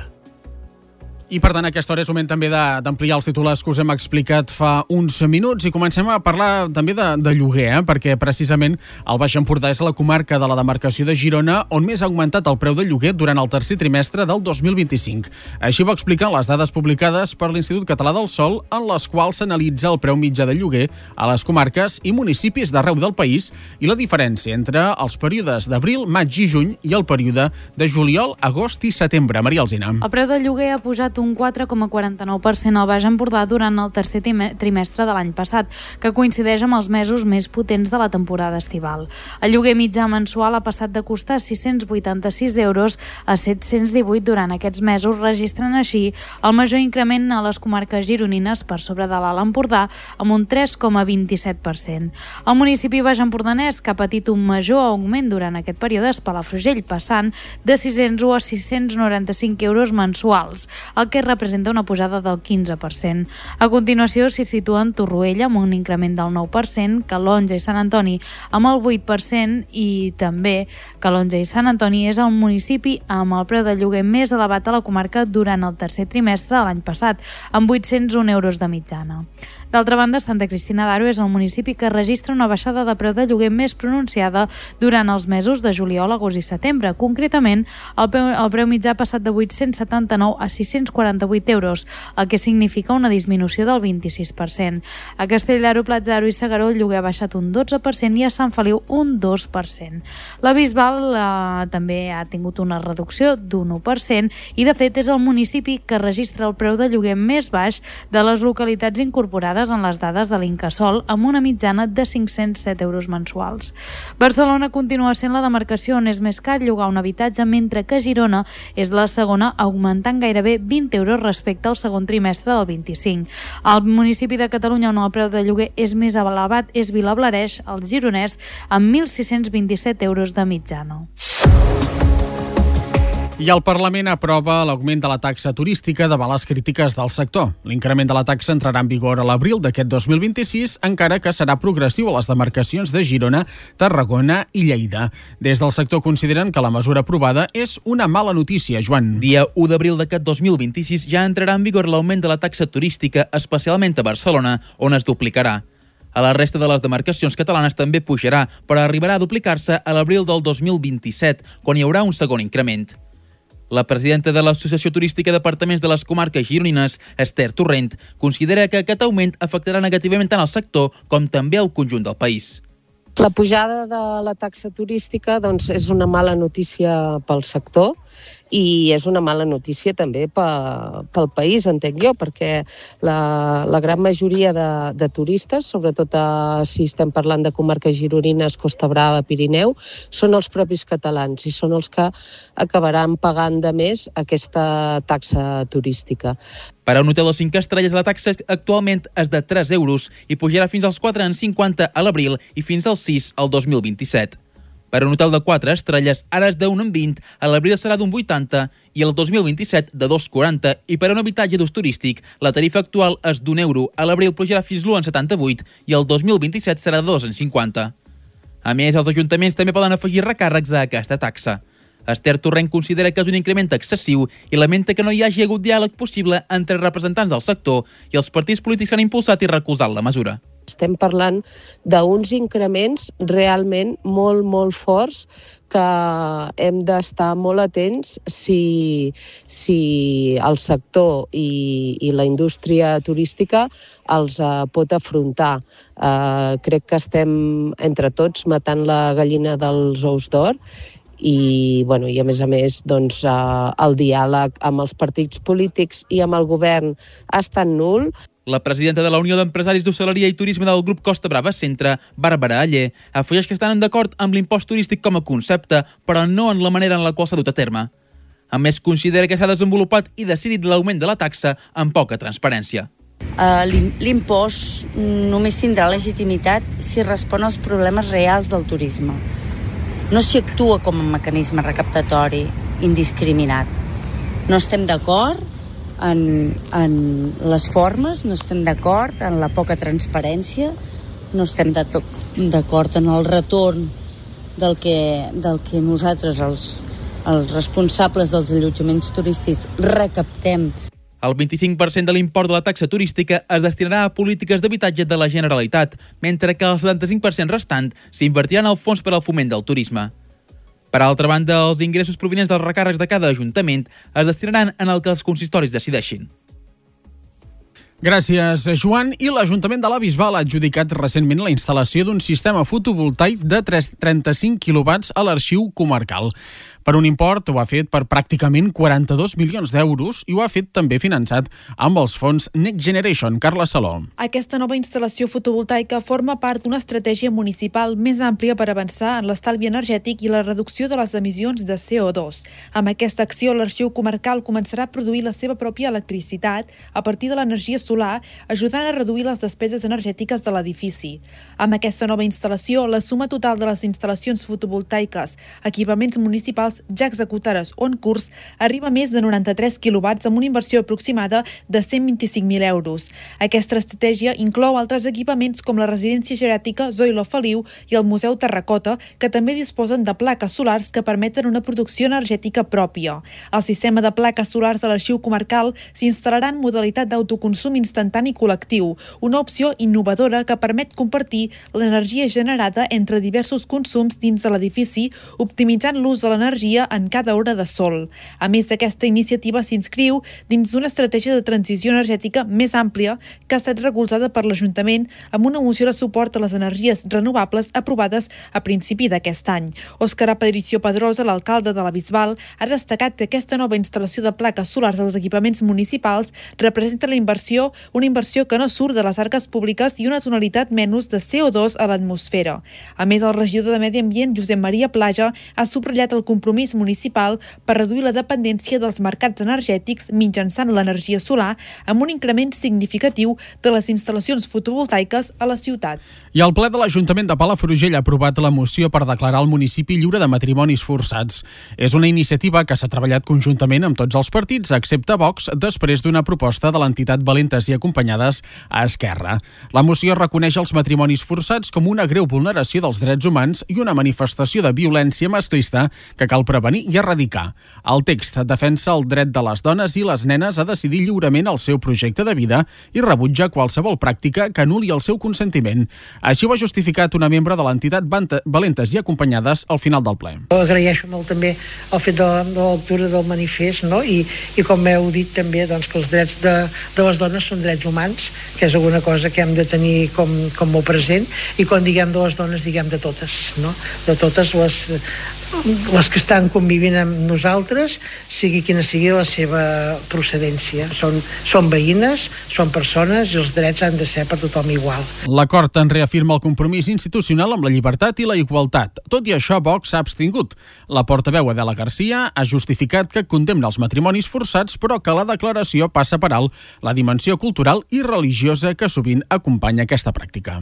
I per tant, a aquesta hora és moment també d'ampliar els titulars que us hem explicat fa uns minuts i comencem a parlar també de lloguer, perquè precisament el Baix Empordà és la comarca de la demarcació de Girona on més ha augmentat el preu del lloguer durant el tercer trimestre del 2025. Així ho expliquen les dades publicades per l'Institut Català del Sòl, en les quals s'analitza el preu mitjà del lloguer a les comarques i municipis d'arreu del país i la diferència entre els períodes d'abril, maig i juny i el període de juliol, agost i setembre. Maria Alsina. El preu del lloguer ha pujat crescut un 4,49% al Baix Empordà durant el tercer trimestre de l'any passat, que coincideix amb els mesos més potents de la temporada estival. El lloguer mitjà mensual ha passat de costar 686 euros a 718 durant aquests mesos, registrant així el major increment a les comarques gironines per sobre de l'Alt Empordà, amb un 3,27%. El municipi baix-empordanès, que ha patit un major augment durant aquest període, és Palafrugell, passant de 601 a 695 euros mensuals, el que representa una pujada del 15%. A continuació s'hi situen Torroella, amb un increment del 9%, Calonja i Sant Antoni amb el 8%, i també Calonja i Sant Antoni és el municipi amb el preu de lloguer més elevat a la comarca durant el tercer trimestre de l'any passat, amb 801 euros de mitjana. D'altra banda, Santa Cristina d'Aro és el municipi que registra una baixada de preu de lloguer més pronunciada durant els mesos de juliol, agost i setembre. Concretament, el preu mitjà ha passat de 879 a 648 euros, el que significa una disminució del 26%. A Castelldaro, Platja d'Aro i S'Agaró el lloguer ha baixat un 12% i a Sant Feliu un 2%. La Bisbal també ha tingut una reducció d'un 1% i, de fet, és el municipi que registra el preu de lloguer més baix de les localitats incorporades en les dades de l'Incasòl, amb una mitjana de 507 euros mensuals. Barcelona continua sent la demarcació on és més car llogar un habitatge, mentre que Girona és la segona, augmentant gairebé 20 euros respecte al segon trimestre del 25. El municipi de Catalunya on el preu de lloguer és més elevat és Vilablareix, el gironès, amb 1.627 euros de mitjana. I el Parlament aprova l'augment de la taxa turística davant les crítiques del sector. L'increment de la taxa entrarà en vigor a l'abril d'aquest 2026, encara que serà progressiu a les demarcacions de Girona, Tarragona i Lleida. Des del sector consideren que la mesura aprovada és una mala notícia, Joan. Dia 1 d'abril d'aquest 2026 ja entrarà en vigor l'augment de la taxa turística, especialment a Barcelona, on es duplicarà. A la resta de les demarcacions catalanes també pujarà, però arribarà a duplicar-se a l'abril del 2027, quan hi haurà un segon increment. La presidenta de l'Associació Turística d'Apartaments de les Comarques Gironines, Esther Torrent, considera que aquest augment afectarà negativament tant el sector com també el conjunt del país. La pujada de la taxa turística és una mala notícia pel sector i és una mala notícia també pel país, entenc jo, perquè la gran majoria de turistes, sobretot si estem parlant de comarques gironines, Costa Brava, Pirineu, són els propis catalans i són els que acabaran pagant de més aquesta taxa turística. Per a un hotel de 5 estrelles, la taxa actualment és de 3 euros i pujarà fins als 4,50 a l'abril i fins als 6 al 2027. Per a un hotel de 4 estrelles, ara és de 1,20, a l'abril serà d'un 80 i el 2027 de 2,40, i per a un habitatge d'ús turístic, la tarifa actual és d'un euro, a l'abril pujarà fins l'1,78 i el 2027 serà de 2,50. A més, els ajuntaments també poden afegir recàrrecs a aquesta taxa. Esther Torrent considera que és un increment excessiu i lamenta que no hi hagi hagut diàleg possible entre representants del sector i els partits polítics que han impulsat i recolzat la mesura. Estem parlant d'uns increments realment molt, molt forts que hem d'estar molt atents si el sector i la indústria turística els pot afrontar. Crec que estem entre tots matant la gallina dels ous d'or i a més el diàleg amb els partits polítics i amb el govern ha estat nul. La presidenta de la Unió d'Empresaris d'Hostaleria i Turisme del grup Costa Brava Centre, Bàrbara Aller, afegeix que estan d'acord amb l'impost turístic com a concepte, però no en la manera en la qual s'ha dut a terme. A més, considera que s'ha desenvolupat i decidit l'augment de la taxa amb poca transparència. L'impost només tindrà legitimitat si respon als problemes reals del turisme. No s'hi actua com un mecanisme recaptatori indiscriminat. No estem d'acord en les formes, no estem d'acord en la poca transparència, no estem d'acord en el retorn del que nosaltres, els responsables dels allotjaments turístics, recaptem. El 25% de l'import de la taxa turística es destinarà a polítiques d'habitatge de la Generalitat, mentre que el 75% restant s'invertiran al Fons per al Foment del Turisme. Per altra banda, els ingressos provinents dels recàrrecs de cada ajuntament es destinaran en el que els consistoris decideixin. Gràcies, Joan. I l'Ajuntament de la Bisbal ha adjudicat recentment la instal·lació d'un sistema fotovoltaic de 35 quilowatts a l'arxiu comarcal. Per un import, ho ha fet per pràcticament 42 milions d'euros i ho ha fet també finançat amb els fons Next Generation. Carla Saló. Aquesta nova instal·lació fotovoltaica forma part d'una estratègia municipal més àmplia per avançar en l'estalvi energètic i la reducció de les emissions de CO2. Amb aquesta acció, l'Arxiu Comarcal començarà a produir la seva pròpia electricitat a partir de l'energia solar, ajudant a reduir les despeses energètiques de l'edifici. Amb aquesta nova instal·lació, la suma total de les instal·lacions fotovoltaiques, equipaments municipals ja executades o en curs, arriba a més de 93 quilowatts amb una inversió aproximada de 125.000 euros. Aquesta estratègia inclou altres equipaments com la residència geriàtrica Zoilo Feliu i el Museu Terracota, que també disposen de plaques solars que permeten una producció energètica pròpia. El sistema de plaques solars de l'Arxiu Comarcal s'instal·larà en modalitat d'autoconsum instantani col·lectiu, una opció innovadora que permet compartir l'energia generada entre diversos consums dins de l'edifici, optimitzant l'ús de l'energia en cada hora de sol. A més, aquesta iniciativa s'inscriu dins d'una estratègia de transició energètica més àmplia que ha estat recolzada per l'Ajuntament amb una moció de suport a les energies renovables aprovades a principi d'aquest any. Òscar Aparicio Pedrosa, l'alcalde de la Bisbal, ha destacat que aquesta nova instal·lació de plaques solars als equipaments municipals representa una inversió que no surt de les arques públiques i una tonalitat menys de CO2 a l'atmosfera. A més, el regidor de Medi Ambient, Josep Maria Plaja, ha subratllat el compromís municipal per reduir la dependència dels mercats energètics mitjançant l'energia solar amb un increment significatiu de les instal·lacions fotovoltaiques a la ciutat. I el ple de l'Ajuntament de Palafrugell ha aprovat la moció per declarar el municipi lliure de matrimonis forçats. És una iniciativa que s'ha treballat conjuntament amb tots els partits, excepte Vox, després d'una proposta de l'entitat Valentes i Acompanyades a Esquerra. La moció reconeix els matrimonis forçats com una greu vulneració dels drets humans i una manifestació de violència masclista que cal prevenir i erradicar. El text defensa el dret de les dones i les nenes a decidir lliurement el seu projecte de vida i rebutja qualsevol pràctica que anul·li el seu consentiment. Així ho ha justificat una membre de l'entitat Valentes i Acompanyades al final del ple. Agraeixo molt també el fet de la lectura del manifest, no? I com heu dit també, doncs, que els drets de les dones són drets humans, que és alguna cosa que hem de tenir com molt present, i quan diguem de les dones diguem de totes, no? De totes les que estan convivint amb nosaltres, sigui quina sigui la seva procedència. Són veïnes, són persones i els drets han de ser per tothom igual. L'acord en reafirma el compromís institucional amb la llibertat i la igualtat. Tot i això, Vox s'ha abstingut. La portaveu Adela Garcia ha justificat que condemna els matrimonis forçats, però que la declaració passa per alt la dimensió cultural i religiosa que sovint acompanya aquesta pràctica.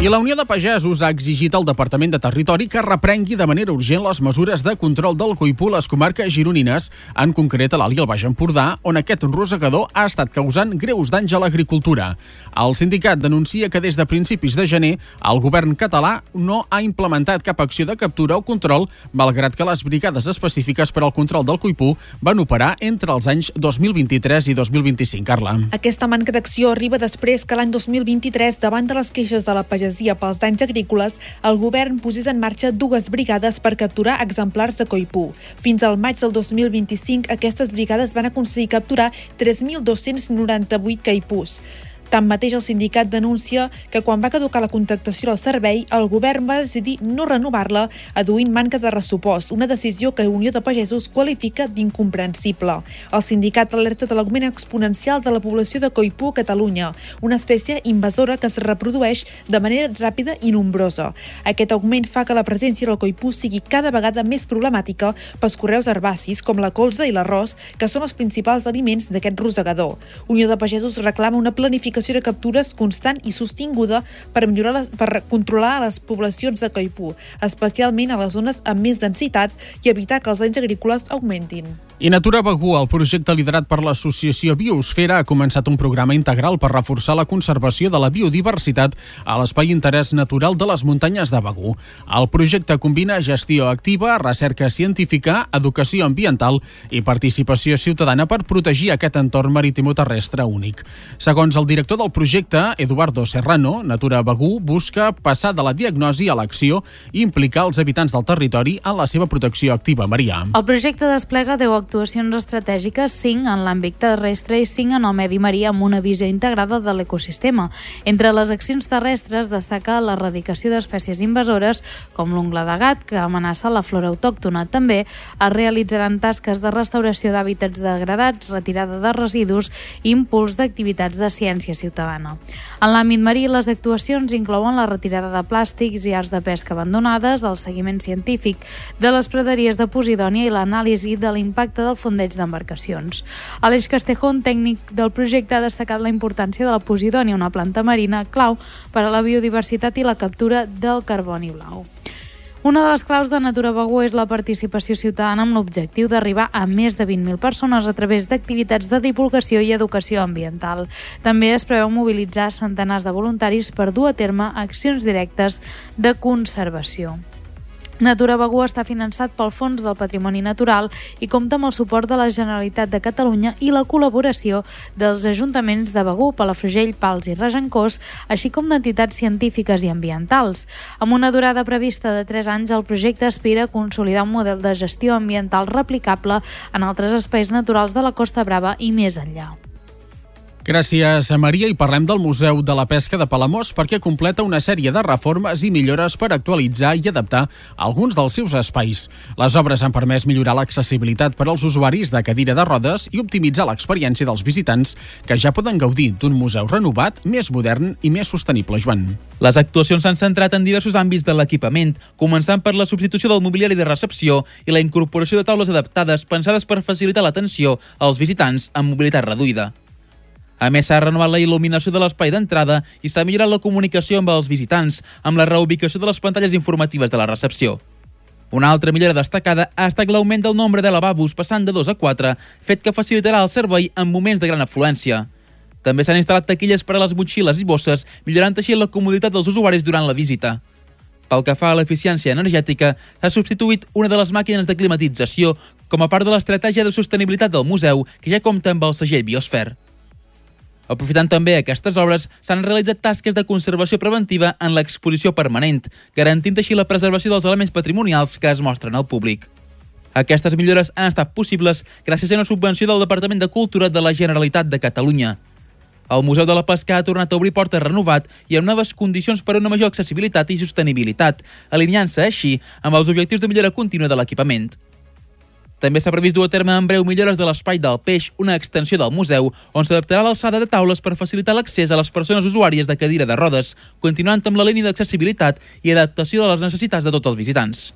I la Unió de Pagesos ha exigit al Departament de Territori que reprengui de manera urgent les mesures de control del coipú a les comarques gironines, en concret a l'Alt i el Baix Empordà, on aquest rosegador ha estat causant greus danys a l'agricultura. El sindicat denuncia que des de principis de gener el govern català no ha implementat cap acció de captura o control, malgrat que les brigades específiques per al control del coipú van operar entre els anys 2023 i 2025. Carla. Aquesta manca d'acció arriba després que l'any 2023, davant de les queixes de la pagesia pels danys agrícoles, el govern posés en marxa 2 brigades per capturar exemplars de coipú. Fins al maig del 2025, aquestes brigades van aconseguir capturar 3.298 caipús. Tanmateix, el sindicat denuncia que quan va caducar la contractació del servei, el govern va decidir no renovar-la, adduint manca de pressupost, una decisió que Unió de Pagesos qualifica d'incomprensible. El sindicat alerta de l'augment exponencial de la població de coipú a Catalunya, una espècie invasora que es reprodueix de manera ràpida i nombrosa. Aquest augment fa que la presència del coipú sigui cada vegada més problemàtica pels conreus herbacis, com la colza i l'arròs, que són els principals aliments d'aquest rosegador. Unió de Pagesos reclama una planificació de captures constant i sostinguda per controlar les poblacions de coipú, especialment a les zones amb més densitat, i evitar que els danys agrícoles augmentin. I Natura Begur, el projecte liderat per l'associació Biosfera, ha començat un programa integral per reforçar la conservació de la biodiversitat a l'espai d'interès natural de les muntanyes de Begur. El projecte combina gestió activa, recerca científica, educació ambiental i participació ciutadana per protegir aquest entorn maritimoterrestre únic. Segons el director director del projecte, Eduardo Serrano, Natura Begur, busca passar de la diagnosi a l'acció i implicar els habitants del territori en la seva protecció activa. Maria. El projecte desplega 10 actuacions estratègiques, 5 en l'àmbit terrestre i 5 en el medi marí, amb una visió integrada de l'ecosistema. Entre les accions terrestres destaca l'erradicació d'espècies invasores, com l'ungla de gat, que amenaça la flora autòctona. També es realitzaran tasques de restauració d'hàbitats degradats, retirada de residus i impuls d'activitats de ciència ciutadana. En l'àmbit marí, les actuacions inclouen la retirada de plàstics i arts de pesca abandonades, el seguiment científic de les praderies de Posidònia i l'anàlisi de l'impacte del fondeig d'embarcacions. Aleix Castejón, tècnic del projecte, ha destacat la importància de la Posidònia, una planta marina clau per a la biodiversitat i la captura del carboni blau. Una de les claus de Natura Begur és la participació ciutadana amb l'objectiu d'arribar a més de 20.000 persones a través d'activitats de divulgació i educació ambiental. També es preveu mobilitzar centenars de voluntaris per dur a terme accions directes de conservació. Natura Begur està finançat pel Fons del Patrimoni Natural i compta amb el suport de la Generalitat de Catalunya i la col·laboració dels ajuntaments de Begur, Palafrugell, Pals i Regencós, així com d'entitats científiques i ambientals. Amb una durada prevista de 3 anys, el projecte aspira a consolidar un model de gestió ambiental replicable en altres espais naturals de la Costa Brava i més enllà. Gràcies, Maria. I parlem del Museu de la Pesca de Palamós perquè completa una sèrie de reformes i millores per actualitzar i adaptar alguns dels seus espais. Les obres han permès millorar l'accessibilitat per als usuaris de cadira de rodes i optimitzar l'experiència dels visitants, que ja poden gaudir d'un museu renovat, més modern i més sostenible. Joan. Les actuacions s'han centrat en diversos àmbits de l'equipament, començant per la substitució del mobiliari de recepció i la incorporació de taules adaptades pensades per facilitar l'atenció als visitants amb mobilitat reduïda. A més, s'ha renovat la il·luminació de l'espai d'entrada i s'ha millorat la comunicació amb els visitants, amb la reubicació de les pantalles informatives de la recepció. Una altra millora destacada ha estat l'augment del nombre de lavabos, passant de 2 a 4, fet que facilitarà el servei en moments de gran afluència. També s'han instal·lat taquilles per a les motxilles i bosses, millorant així la comoditat dels usuaris durant la visita. Pel que fa a l'eficiència energètica, s'ha substituït una de les màquines de climatització com a part de l'estratègia de sostenibilitat del museu, que ja compta amb el segell Biosfer. Aprofitant també aquestes obres, s'han realitzat tasques de conservació preventiva en l'exposició permanent, garantint així la preservació dels elements patrimonials que es mostren al públic. Aquestes millores han estat possibles gràcies a una subvenció del Departament de Cultura de la Generalitat de Catalunya. El Museu de la Pesca ha tornat a obrir portes renovat i amb noves condicions per a una major accessibilitat i sostenibilitat, alineant-se així amb els objectius de millora contínua de l'equipament. També s'ha previst dur a terme en breu millores de l'espai del peix, una extensió del museu, on s'adaptarà l'alçada de taules per facilitar l'accés a les persones usuàries de cadira de rodes, continuant amb la línia d'accessibilitat i adaptació de les necessitats de tots els visitants.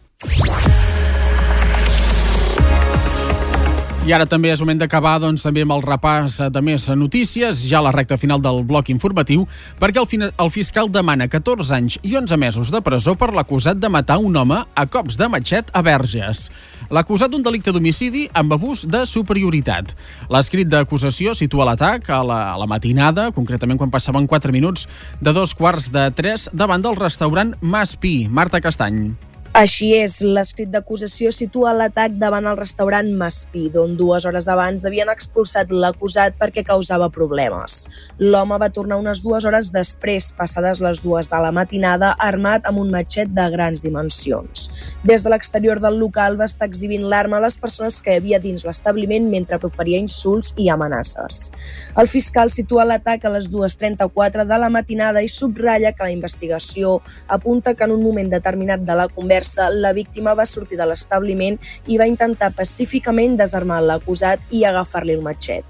I ara també és moment d'acabar també amb el repàs de més notícies, ja a la recta final del bloc informatiu, perquè el fiscal demana 14 anys i 11 mesos de presó per l'acusat de matar un home a cops de matxet a Verges. L'acusat d'un delicte d'homicidi amb abús de superioritat. L'escrit d'acusació situa l'atac a la matinada, concretament quan passaven 4 minuts de 2:45 davant del restaurant Mas Pi. Marta Castany. Així és, l'escrit d'acusació situa l'atac davant el restaurant Mas Pi, d'on 2 hores abans havien expulsat l'acusat perquè causava problemes. L'home va tornar unes 2 hores després, passades les 2 de la matinada, armat amb un matxet de grans dimensions. Des de l'exterior del local va estar exhibint l'arma a les persones que hi havia dins l'establiment mentre proferia insults i amenaces. El fiscal situa l'atac a les 2:34 de la matinada i subratlla que la investigació apunta que en un moment determinat de la conversa la víctima va sortir de l'establiment i va intentar pacíficament desarmar l'acusat i agafar-li el matxet.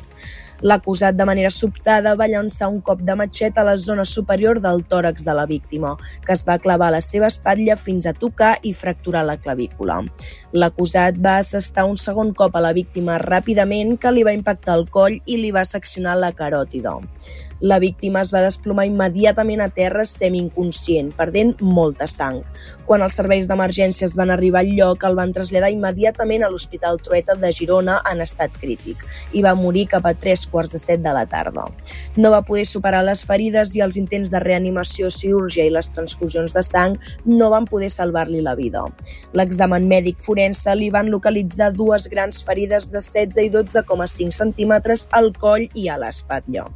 L'acusat, de manera sobtada, va llançar un cop de matxet a la zona superior del tòrax de la víctima, que es va clavar a la seva espatlla fins a tocar i fracturar la clavícula. L'acusat va assestar un segon cop a la víctima ràpidament, que li va impactar el coll i li va seccionar la caròtida. La víctima es va desplomar immediatament a terra semi-inconscient, perdent molta sang. Quan els serveis d'emergències van arribar al lloc, el van traslladar immediatament a l'Hospital Trueta de Girona en estat crític i va morir cap a 3:15 de la tarda. No va poder superar les ferides i els intents de reanimació, cirurgia i les transfusions de sang no van poder salvar-li la vida. L'examen mèdic forense li van localitzar 2 grans ferides de 16 i 12,5 centímetres al coll i a l'espatlla.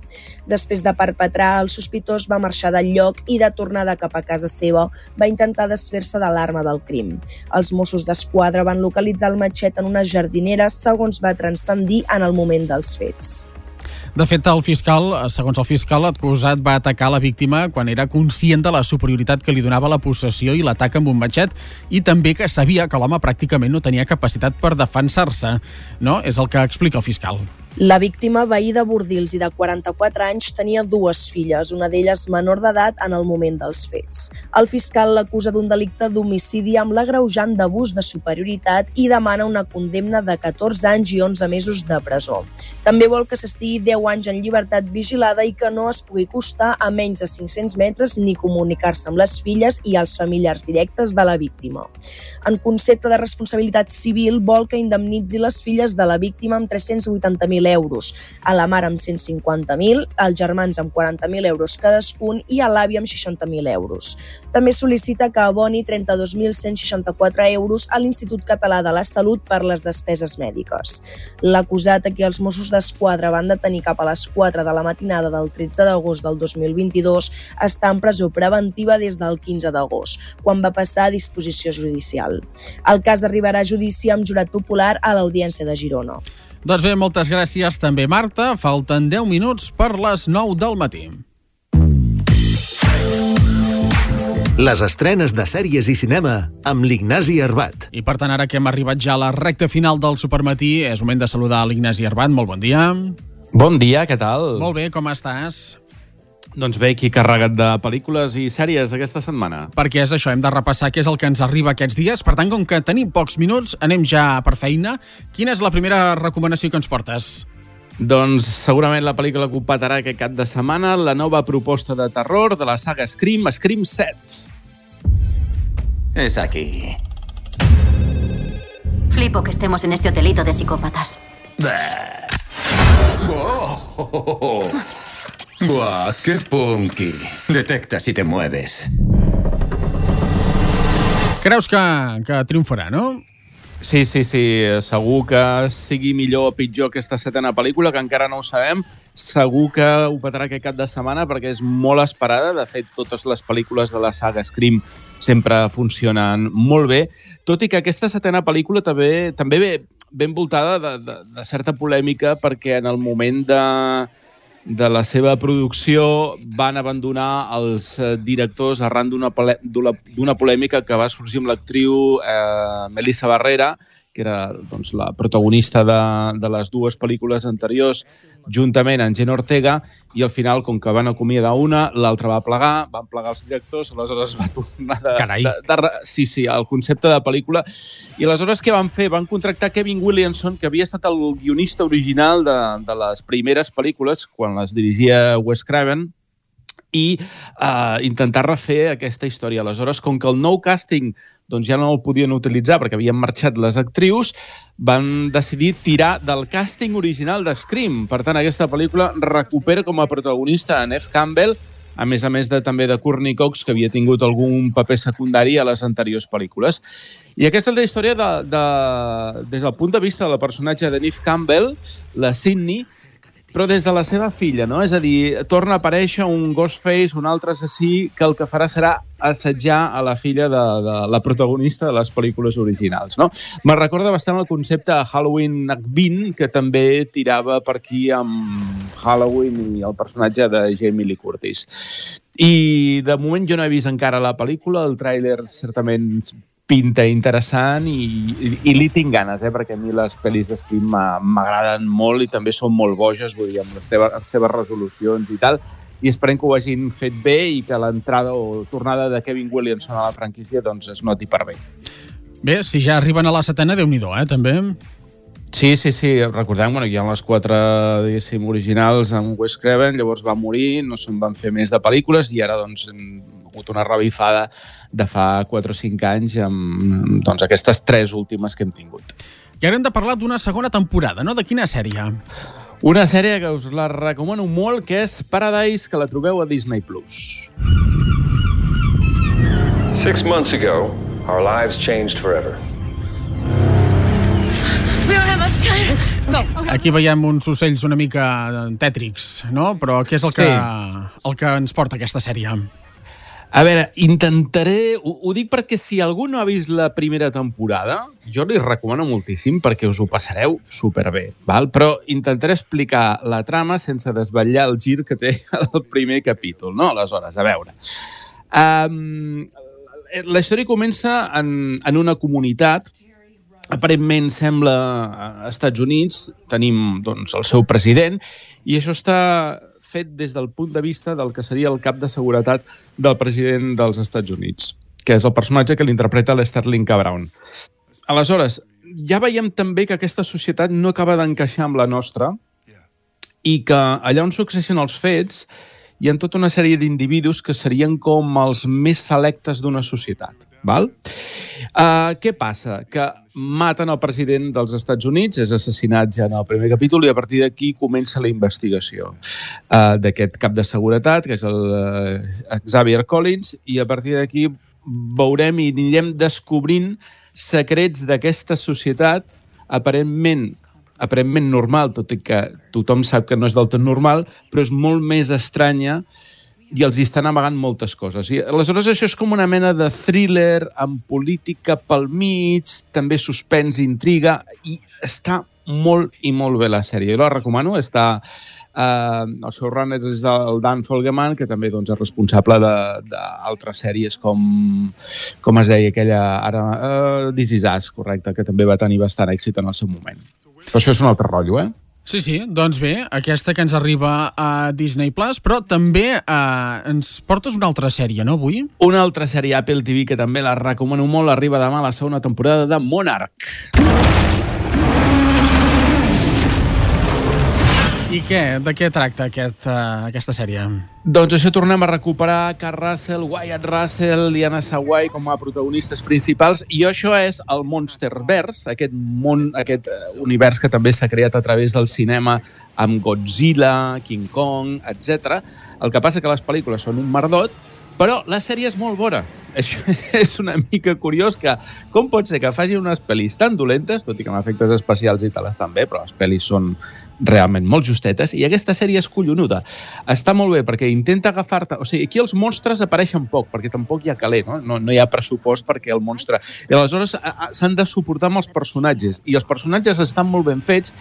Després Després de perpetrar, el sospitós va marxar del lloc i, de tornada cap a casa seva, va intentar desfer-se de l'arma del crim. Els Mossos d'Esquadra van localitzar el matxet en una jardinera, segons va transcendir en el moment dels fets. De fet, segons el fiscal, l'acusat va atacar la víctima quan era conscient de la superioritat que li donava la possessió i l'atac amb un matxet, i també que sabia que l'home pràcticament no tenia capacitat per defensar-se. No? És el que explica el fiscal. La víctima, veí de Bordils i de 44 anys, tenia 2 filles, una d'elles menor d'edat en el moment dels fets. El fiscal l'acusa d'un delicte d'homicidi amb l'agreujant d'abús de superioritat i demana una condemna de 14 anys i 11 mesos de presó. També vol que s'estigui 10 anys en llibertat vigilada i que no es pugui acostar a menys de 500 metres ni comunicar-se amb les filles i els familiars directes de la víctima. En concepte de responsabilitat civil, vol que indemnitzi les filles de la víctima amb 380.000 euros, a la mare amb 150.000, als germans amb 40.000 euros cadascun i a l'àvia amb 60.000 euros. També sol·licita que aboni 32.164 euros a l'Institut Català de la Salut per les despeses mèdiques. L'acusat, a qui els Mossos d'Esquadra van detenir cap a les 4 de la matinada del 13 d'agost del 2022, està en presó preventiva des del 15 d'agost, quan va passar a disposició judicial. El cas arribarà a judici amb jurat popular a l'Audiència de Girona. Doncs bé, moltes gràcies també, Marta. Falten 10 minuts per les 9 del matí. Les estrenes de sèries i cinema amb l'Ignasi Arbat. I per tant, ara que hem arribat ja a la recta final del Supermatí, és moment de saludar l'Ignasi Arbat. Molt bon dia. Bon dia, què tal? Molt bé, com estàs? Doncs bé, aquí carregat de pel·lícules i sèries aquesta setmana. Perquè és això, hem de repassar què és el que ens arriba aquests dies. Per tant, com que tenim pocs minuts, anem ja per feina. Quina és la primera recomanació que ens portes? Doncs segurament la pel·lícula que ho petarà aquest cap de setmana, la nova proposta de terror de la saga Scream, Scream 7. Es aquí. Flipo que estemos en este hotelito de psicópatas. ¡Buah, qué punky! Detecta si te mueves. Creus que triomfarà, no? Sí, segur que sigui millor o pitjor aquesta setena pel·lícula, que encara no ho sabem. Segur que ho petarà aquest cap de setmana perquè és molt esperada. De fet, totes les pel·lícules de la saga Scream sempre funcionen molt bé, tot i que aquesta setena pel·lícula també ve ben envoltada de certa polèmica, perquè en el moment de la seva producció van abandonar els directors arran d'una polèmica que va sorgir amb l'actriu Melissa Barrera, que era doncs, la protagonista de les dues pel·lícules anteriors, juntament amb Jenna Ortega, i al final, com que van acomiadar una, l'altra va plegar, van plegar els directors, aleshores va tornar el concepte de pel·lícula. I aleshores què van fer? Van contractar Kevin Williamson, que havia estat el guionista original de les primeres pel·lícules, quan les dirigia Wes Craven, i intentar refer aquesta història. Aleshores, com que el nou càsting doncs ja no el podien utilitzar perquè havien marxat les actrius, van decidir tirar del càsting original de Scream. Per tant, aquesta pel·lícula recupera com a protagonista a Neve Campbell, a més també de Courtney Cox, que havia tingut algun paper secundari a les anteriors pel·lícules. I aquesta és la història des del punt de vista de la personatge de Neve Campbell, la Sydney, però des de la seva filla, no? És a dir, torna a aparèixer un Ghostface, un altre assassí, que el que farà serà assetjar a la filla de la protagonista de les pel·lícules originals, no? Me recorda bastant el concepte de Halloween H20, que també tirava per aquí amb Halloween i el personatge de Jamie Lee Curtis. I de moment jo no he vist encara la pel·lícula, el tràiler certament pinta interessant i li tinc ganes, perquè a mi les pel·lis de Scream m'agraden molt i també són molt boges, vull dir, amb les seves resolucions i tal, i esperem que ho hagin fet bé i que l'entrada o tornada de Kevin Williamson a la franquícia doncs es noti per bé. Bé, si ja arriben a la setena, Déu-n'hi-do, també. Sí, recordem que hi ha les 4, diguéssim, originals amb Wes Craven, llavors va morir, no se'n van fer més de pel·lícules i ara doncs hem hagut una revifada de fa 4 o 5 anys amb doncs, aquestes 3 últimes que hem tingut. I ara hem de parlar d'una segona temporada, no? De quina sèrie? Una sèrie que us la recomano molt, que és Paradise, que la trobeu a Disney+. 6 months ago, our lives changed forever. Aquí veiem uns ocells una mica tètrics, no? Però què és el que ens porta aquesta sèrie? A veure, intentaré... Ho dic perquè si algú no ha vist la primera temporada, jo li recomano moltíssim perquè us ho passareu superbé, val? Però intentaré explicar la trama sense desvetllar el gir que té el primer capítol, no? Aleshores, a veure... la història comença en una comunitat, aparentment sembla als Estats Units, tenim doncs, el seu president, i això està fet des del punt de vista del que seria el cap de seguretat del president dels Estats Units, que és el personatge que l'interpreta l'Sterling K. Brown. Aleshores, ja veiem també que aquesta societat no acaba d'encaixar amb la nostra i que allà on succeeixen els fets hi ha tota una sèrie d'individus que serien com els més selectes d'una societat. Val? Què passa? Que maten el president dels Estats Units, és assassinat ja en el primer capítol, i a partir d'aquí comença la investigació d'aquest cap de seguretat, que és el Xavier Collins, i a partir d'aquí veurem i anirem descobrint secrets d'aquesta societat aparentment normal, tot i que tothom sap que no és del tot normal, però és molt més estranya i els hi estan amagant moltes coses. I aleshores això és com una mena de thriller amb política pel mig, també suspens i intriga, i està molt i molt bé la sèrie. Jo la recomano, està... el showrunner és el Dan Fogelman, que també doncs, és responsable d'altres sèries com es deia aquella ara... This Is Us, correcte, que també va tenir bastant èxit en el seu moment. Però això és un altre rotllo, Sí, doncs bé, aquesta que ens arriba a Disney+, però també ens portes una altra sèrie, no, avui? Una altra sèrie Apple TV que també la recomano molt, arriba demà la segona temporada de Monarch. I de què tracta aquesta sèrie? Doncs això, tornem a recuperar Kurt Russell, Wyatt Russell, Liana Sawai com a protagonistes principals, i això és el Monsterverse, aquest univers que també s'ha creat a través del cinema amb Godzilla, King Kong, etc. El que passa que les pel·lícules són un merdot, però la sèrie és molt bona. Això és una mica curiós que com pot ser que faci unes pel·lis tan dolentes, tot i que amb efectes especials i tal estan bé, però les pel·lis són realment molt justetes, i aquesta sèrie és collonuda. Està molt bé perquè intenta agafar-te... O sigui, aquí els monstres apareixen poc, perquè tampoc hi ha caler, no? No hi ha pressupost perquè el monstre... I aleshores s'han de suportar amb els personatges, i els personatges estan molt ben fets,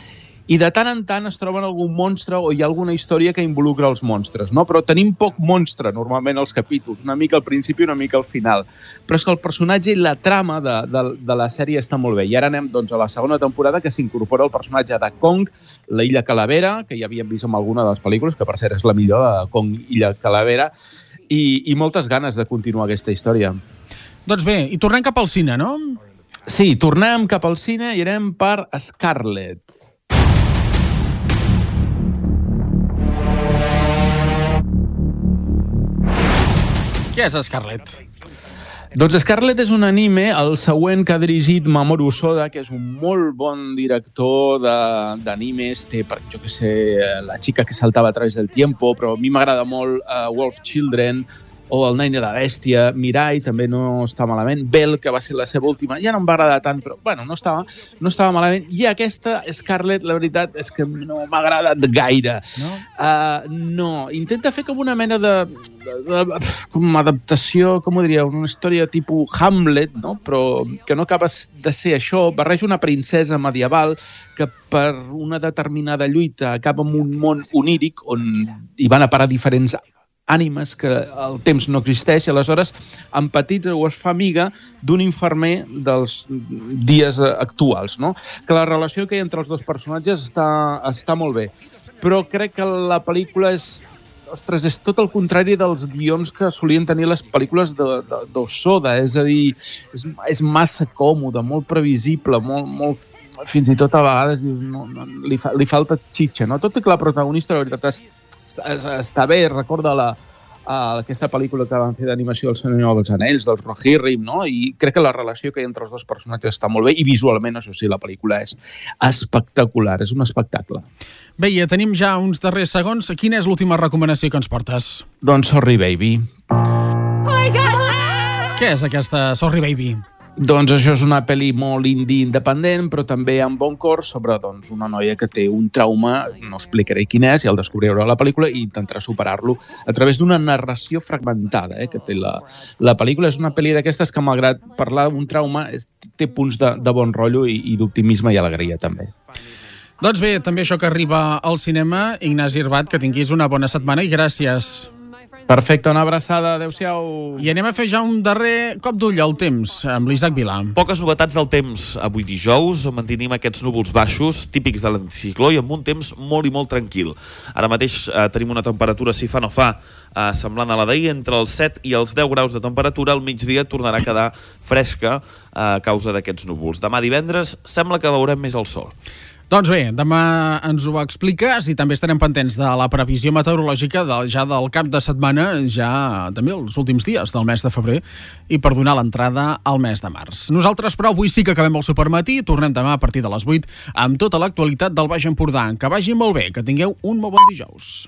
i de tant en tant es troben algun monstre o hi ha alguna història que involucra els monstres, no? Però tenim poc monstre, normalment, als capítols, una mica al principi i una mica al final. Però és que el personatge i la trama de la sèrie està molt bé. I ara anem doncs, a la segona temporada, que s'incorpora el personatge de Kong, la Illa Calavera, que ja havíem vist en alguna de les pel·lícules, que per cert és la millor, de Kong, Illa Calavera, i moltes ganes de continuar aquesta història. Doncs bé, i tornem cap al cine, no? Sí, tornem cap al cine i anem per Scarlett. Què és Scarlett? Doncs Scarlett és un anime, el següent que ha dirigit Mamoru Hosoda, que és un molt bon director d'animes, té, jo què sé, La chica que saltava a través del tiempo, però a mi m'agrada molt Wolf Children, o El nen i la bèstia, Mirai també no està malament, Bell, que va ser la seva última, ja no em va agradar tant, però bueno, no estava malament, i aquesta Scarlett, la veritat és que no m'ha agradat gaire. No? No, intenta fer com una mena de com adaptació, com ho diria, una història tipus Hamlet, no? Però que no acaba de ser això, barreja una princesa medieval que per una determinada lluita acaba en un món oníric on hi van a parar diferents ànimes que el temps no existeix, i aleshores empatitza o es fa amiga d'un infermer dels dies actuals, no? Que la relació que hi ha entre els dos personatges està molt bé, però crec que la pel·lícula és tot el contrari dels guions que solien tenir les pel·lícules d'Hosoda, és a dir, és massa còmode, molt previsible, molt fins i tot a vegades li falta xitxa, no? Tot i que la protagonista, la veritat, està bé, recorda aquesta pel·lícula que van fer d'animació del Senyor dels Anells, dels Rohirrim, no? I crec que la relació que hi ha entre els dos personatges està molt bé, i visualment, això sí, la pel·lícula és espectacular, és un espectacle. Bé, ja tenim ja uns darrers segons. Quina és l'última recomanació que ens portes? Doncs Sorry Baby. Què és aquesta Sorry Baby? Doncs això és una pel·li molt indie independent, però també amb bon cor, sobre una noia que té un trauma, no explicaré quin és, ja el descobrireu a la pel·lícula, i intentarà superar-lo a través d'una narració fragmentada que té la pel·lícula. És una pel·li d'aquestes que, malgrat parlar d'un trauma, té punts de bon rotllo i d'optimisme i alegria també. Doncs bé, també això que arriba al cinema. Ignasi Irbat, que tinguis una bona setmana i gràcies. Perfecte, una abraçada, adeu-siau. I anem a fer ja un darrer cop d'ull al temps amb l'Isaac Vilà. Poques novetats al temps. Avui dijous mantenim aquests núvols baixos típics de l'anticicló i amb un temps molt i molt tranquil. Ara mateix tenim una temperatura, si fa no fa, semblant a la d'ahir, entre els 7 i els 10 graus de temperatura. Al migdia tornarà a quedar fresca a causa d'aquests núvols. Demà divendres sembla que veurem més el sol. Doncs bé, demà ens ho expliques i també estarem pendents de la previsió meteorològica ja del cap de setmana, ja també els últims dies del mes de febrer, i per donar l'entrada al mes de març. Nosaltres, però, avui sí que acabem el supermatí, tornem demà a partir de les 8 amb tota l'actualitat del Baix Empordà. Que vagi molt bé, que tingueu un molt bon dijous.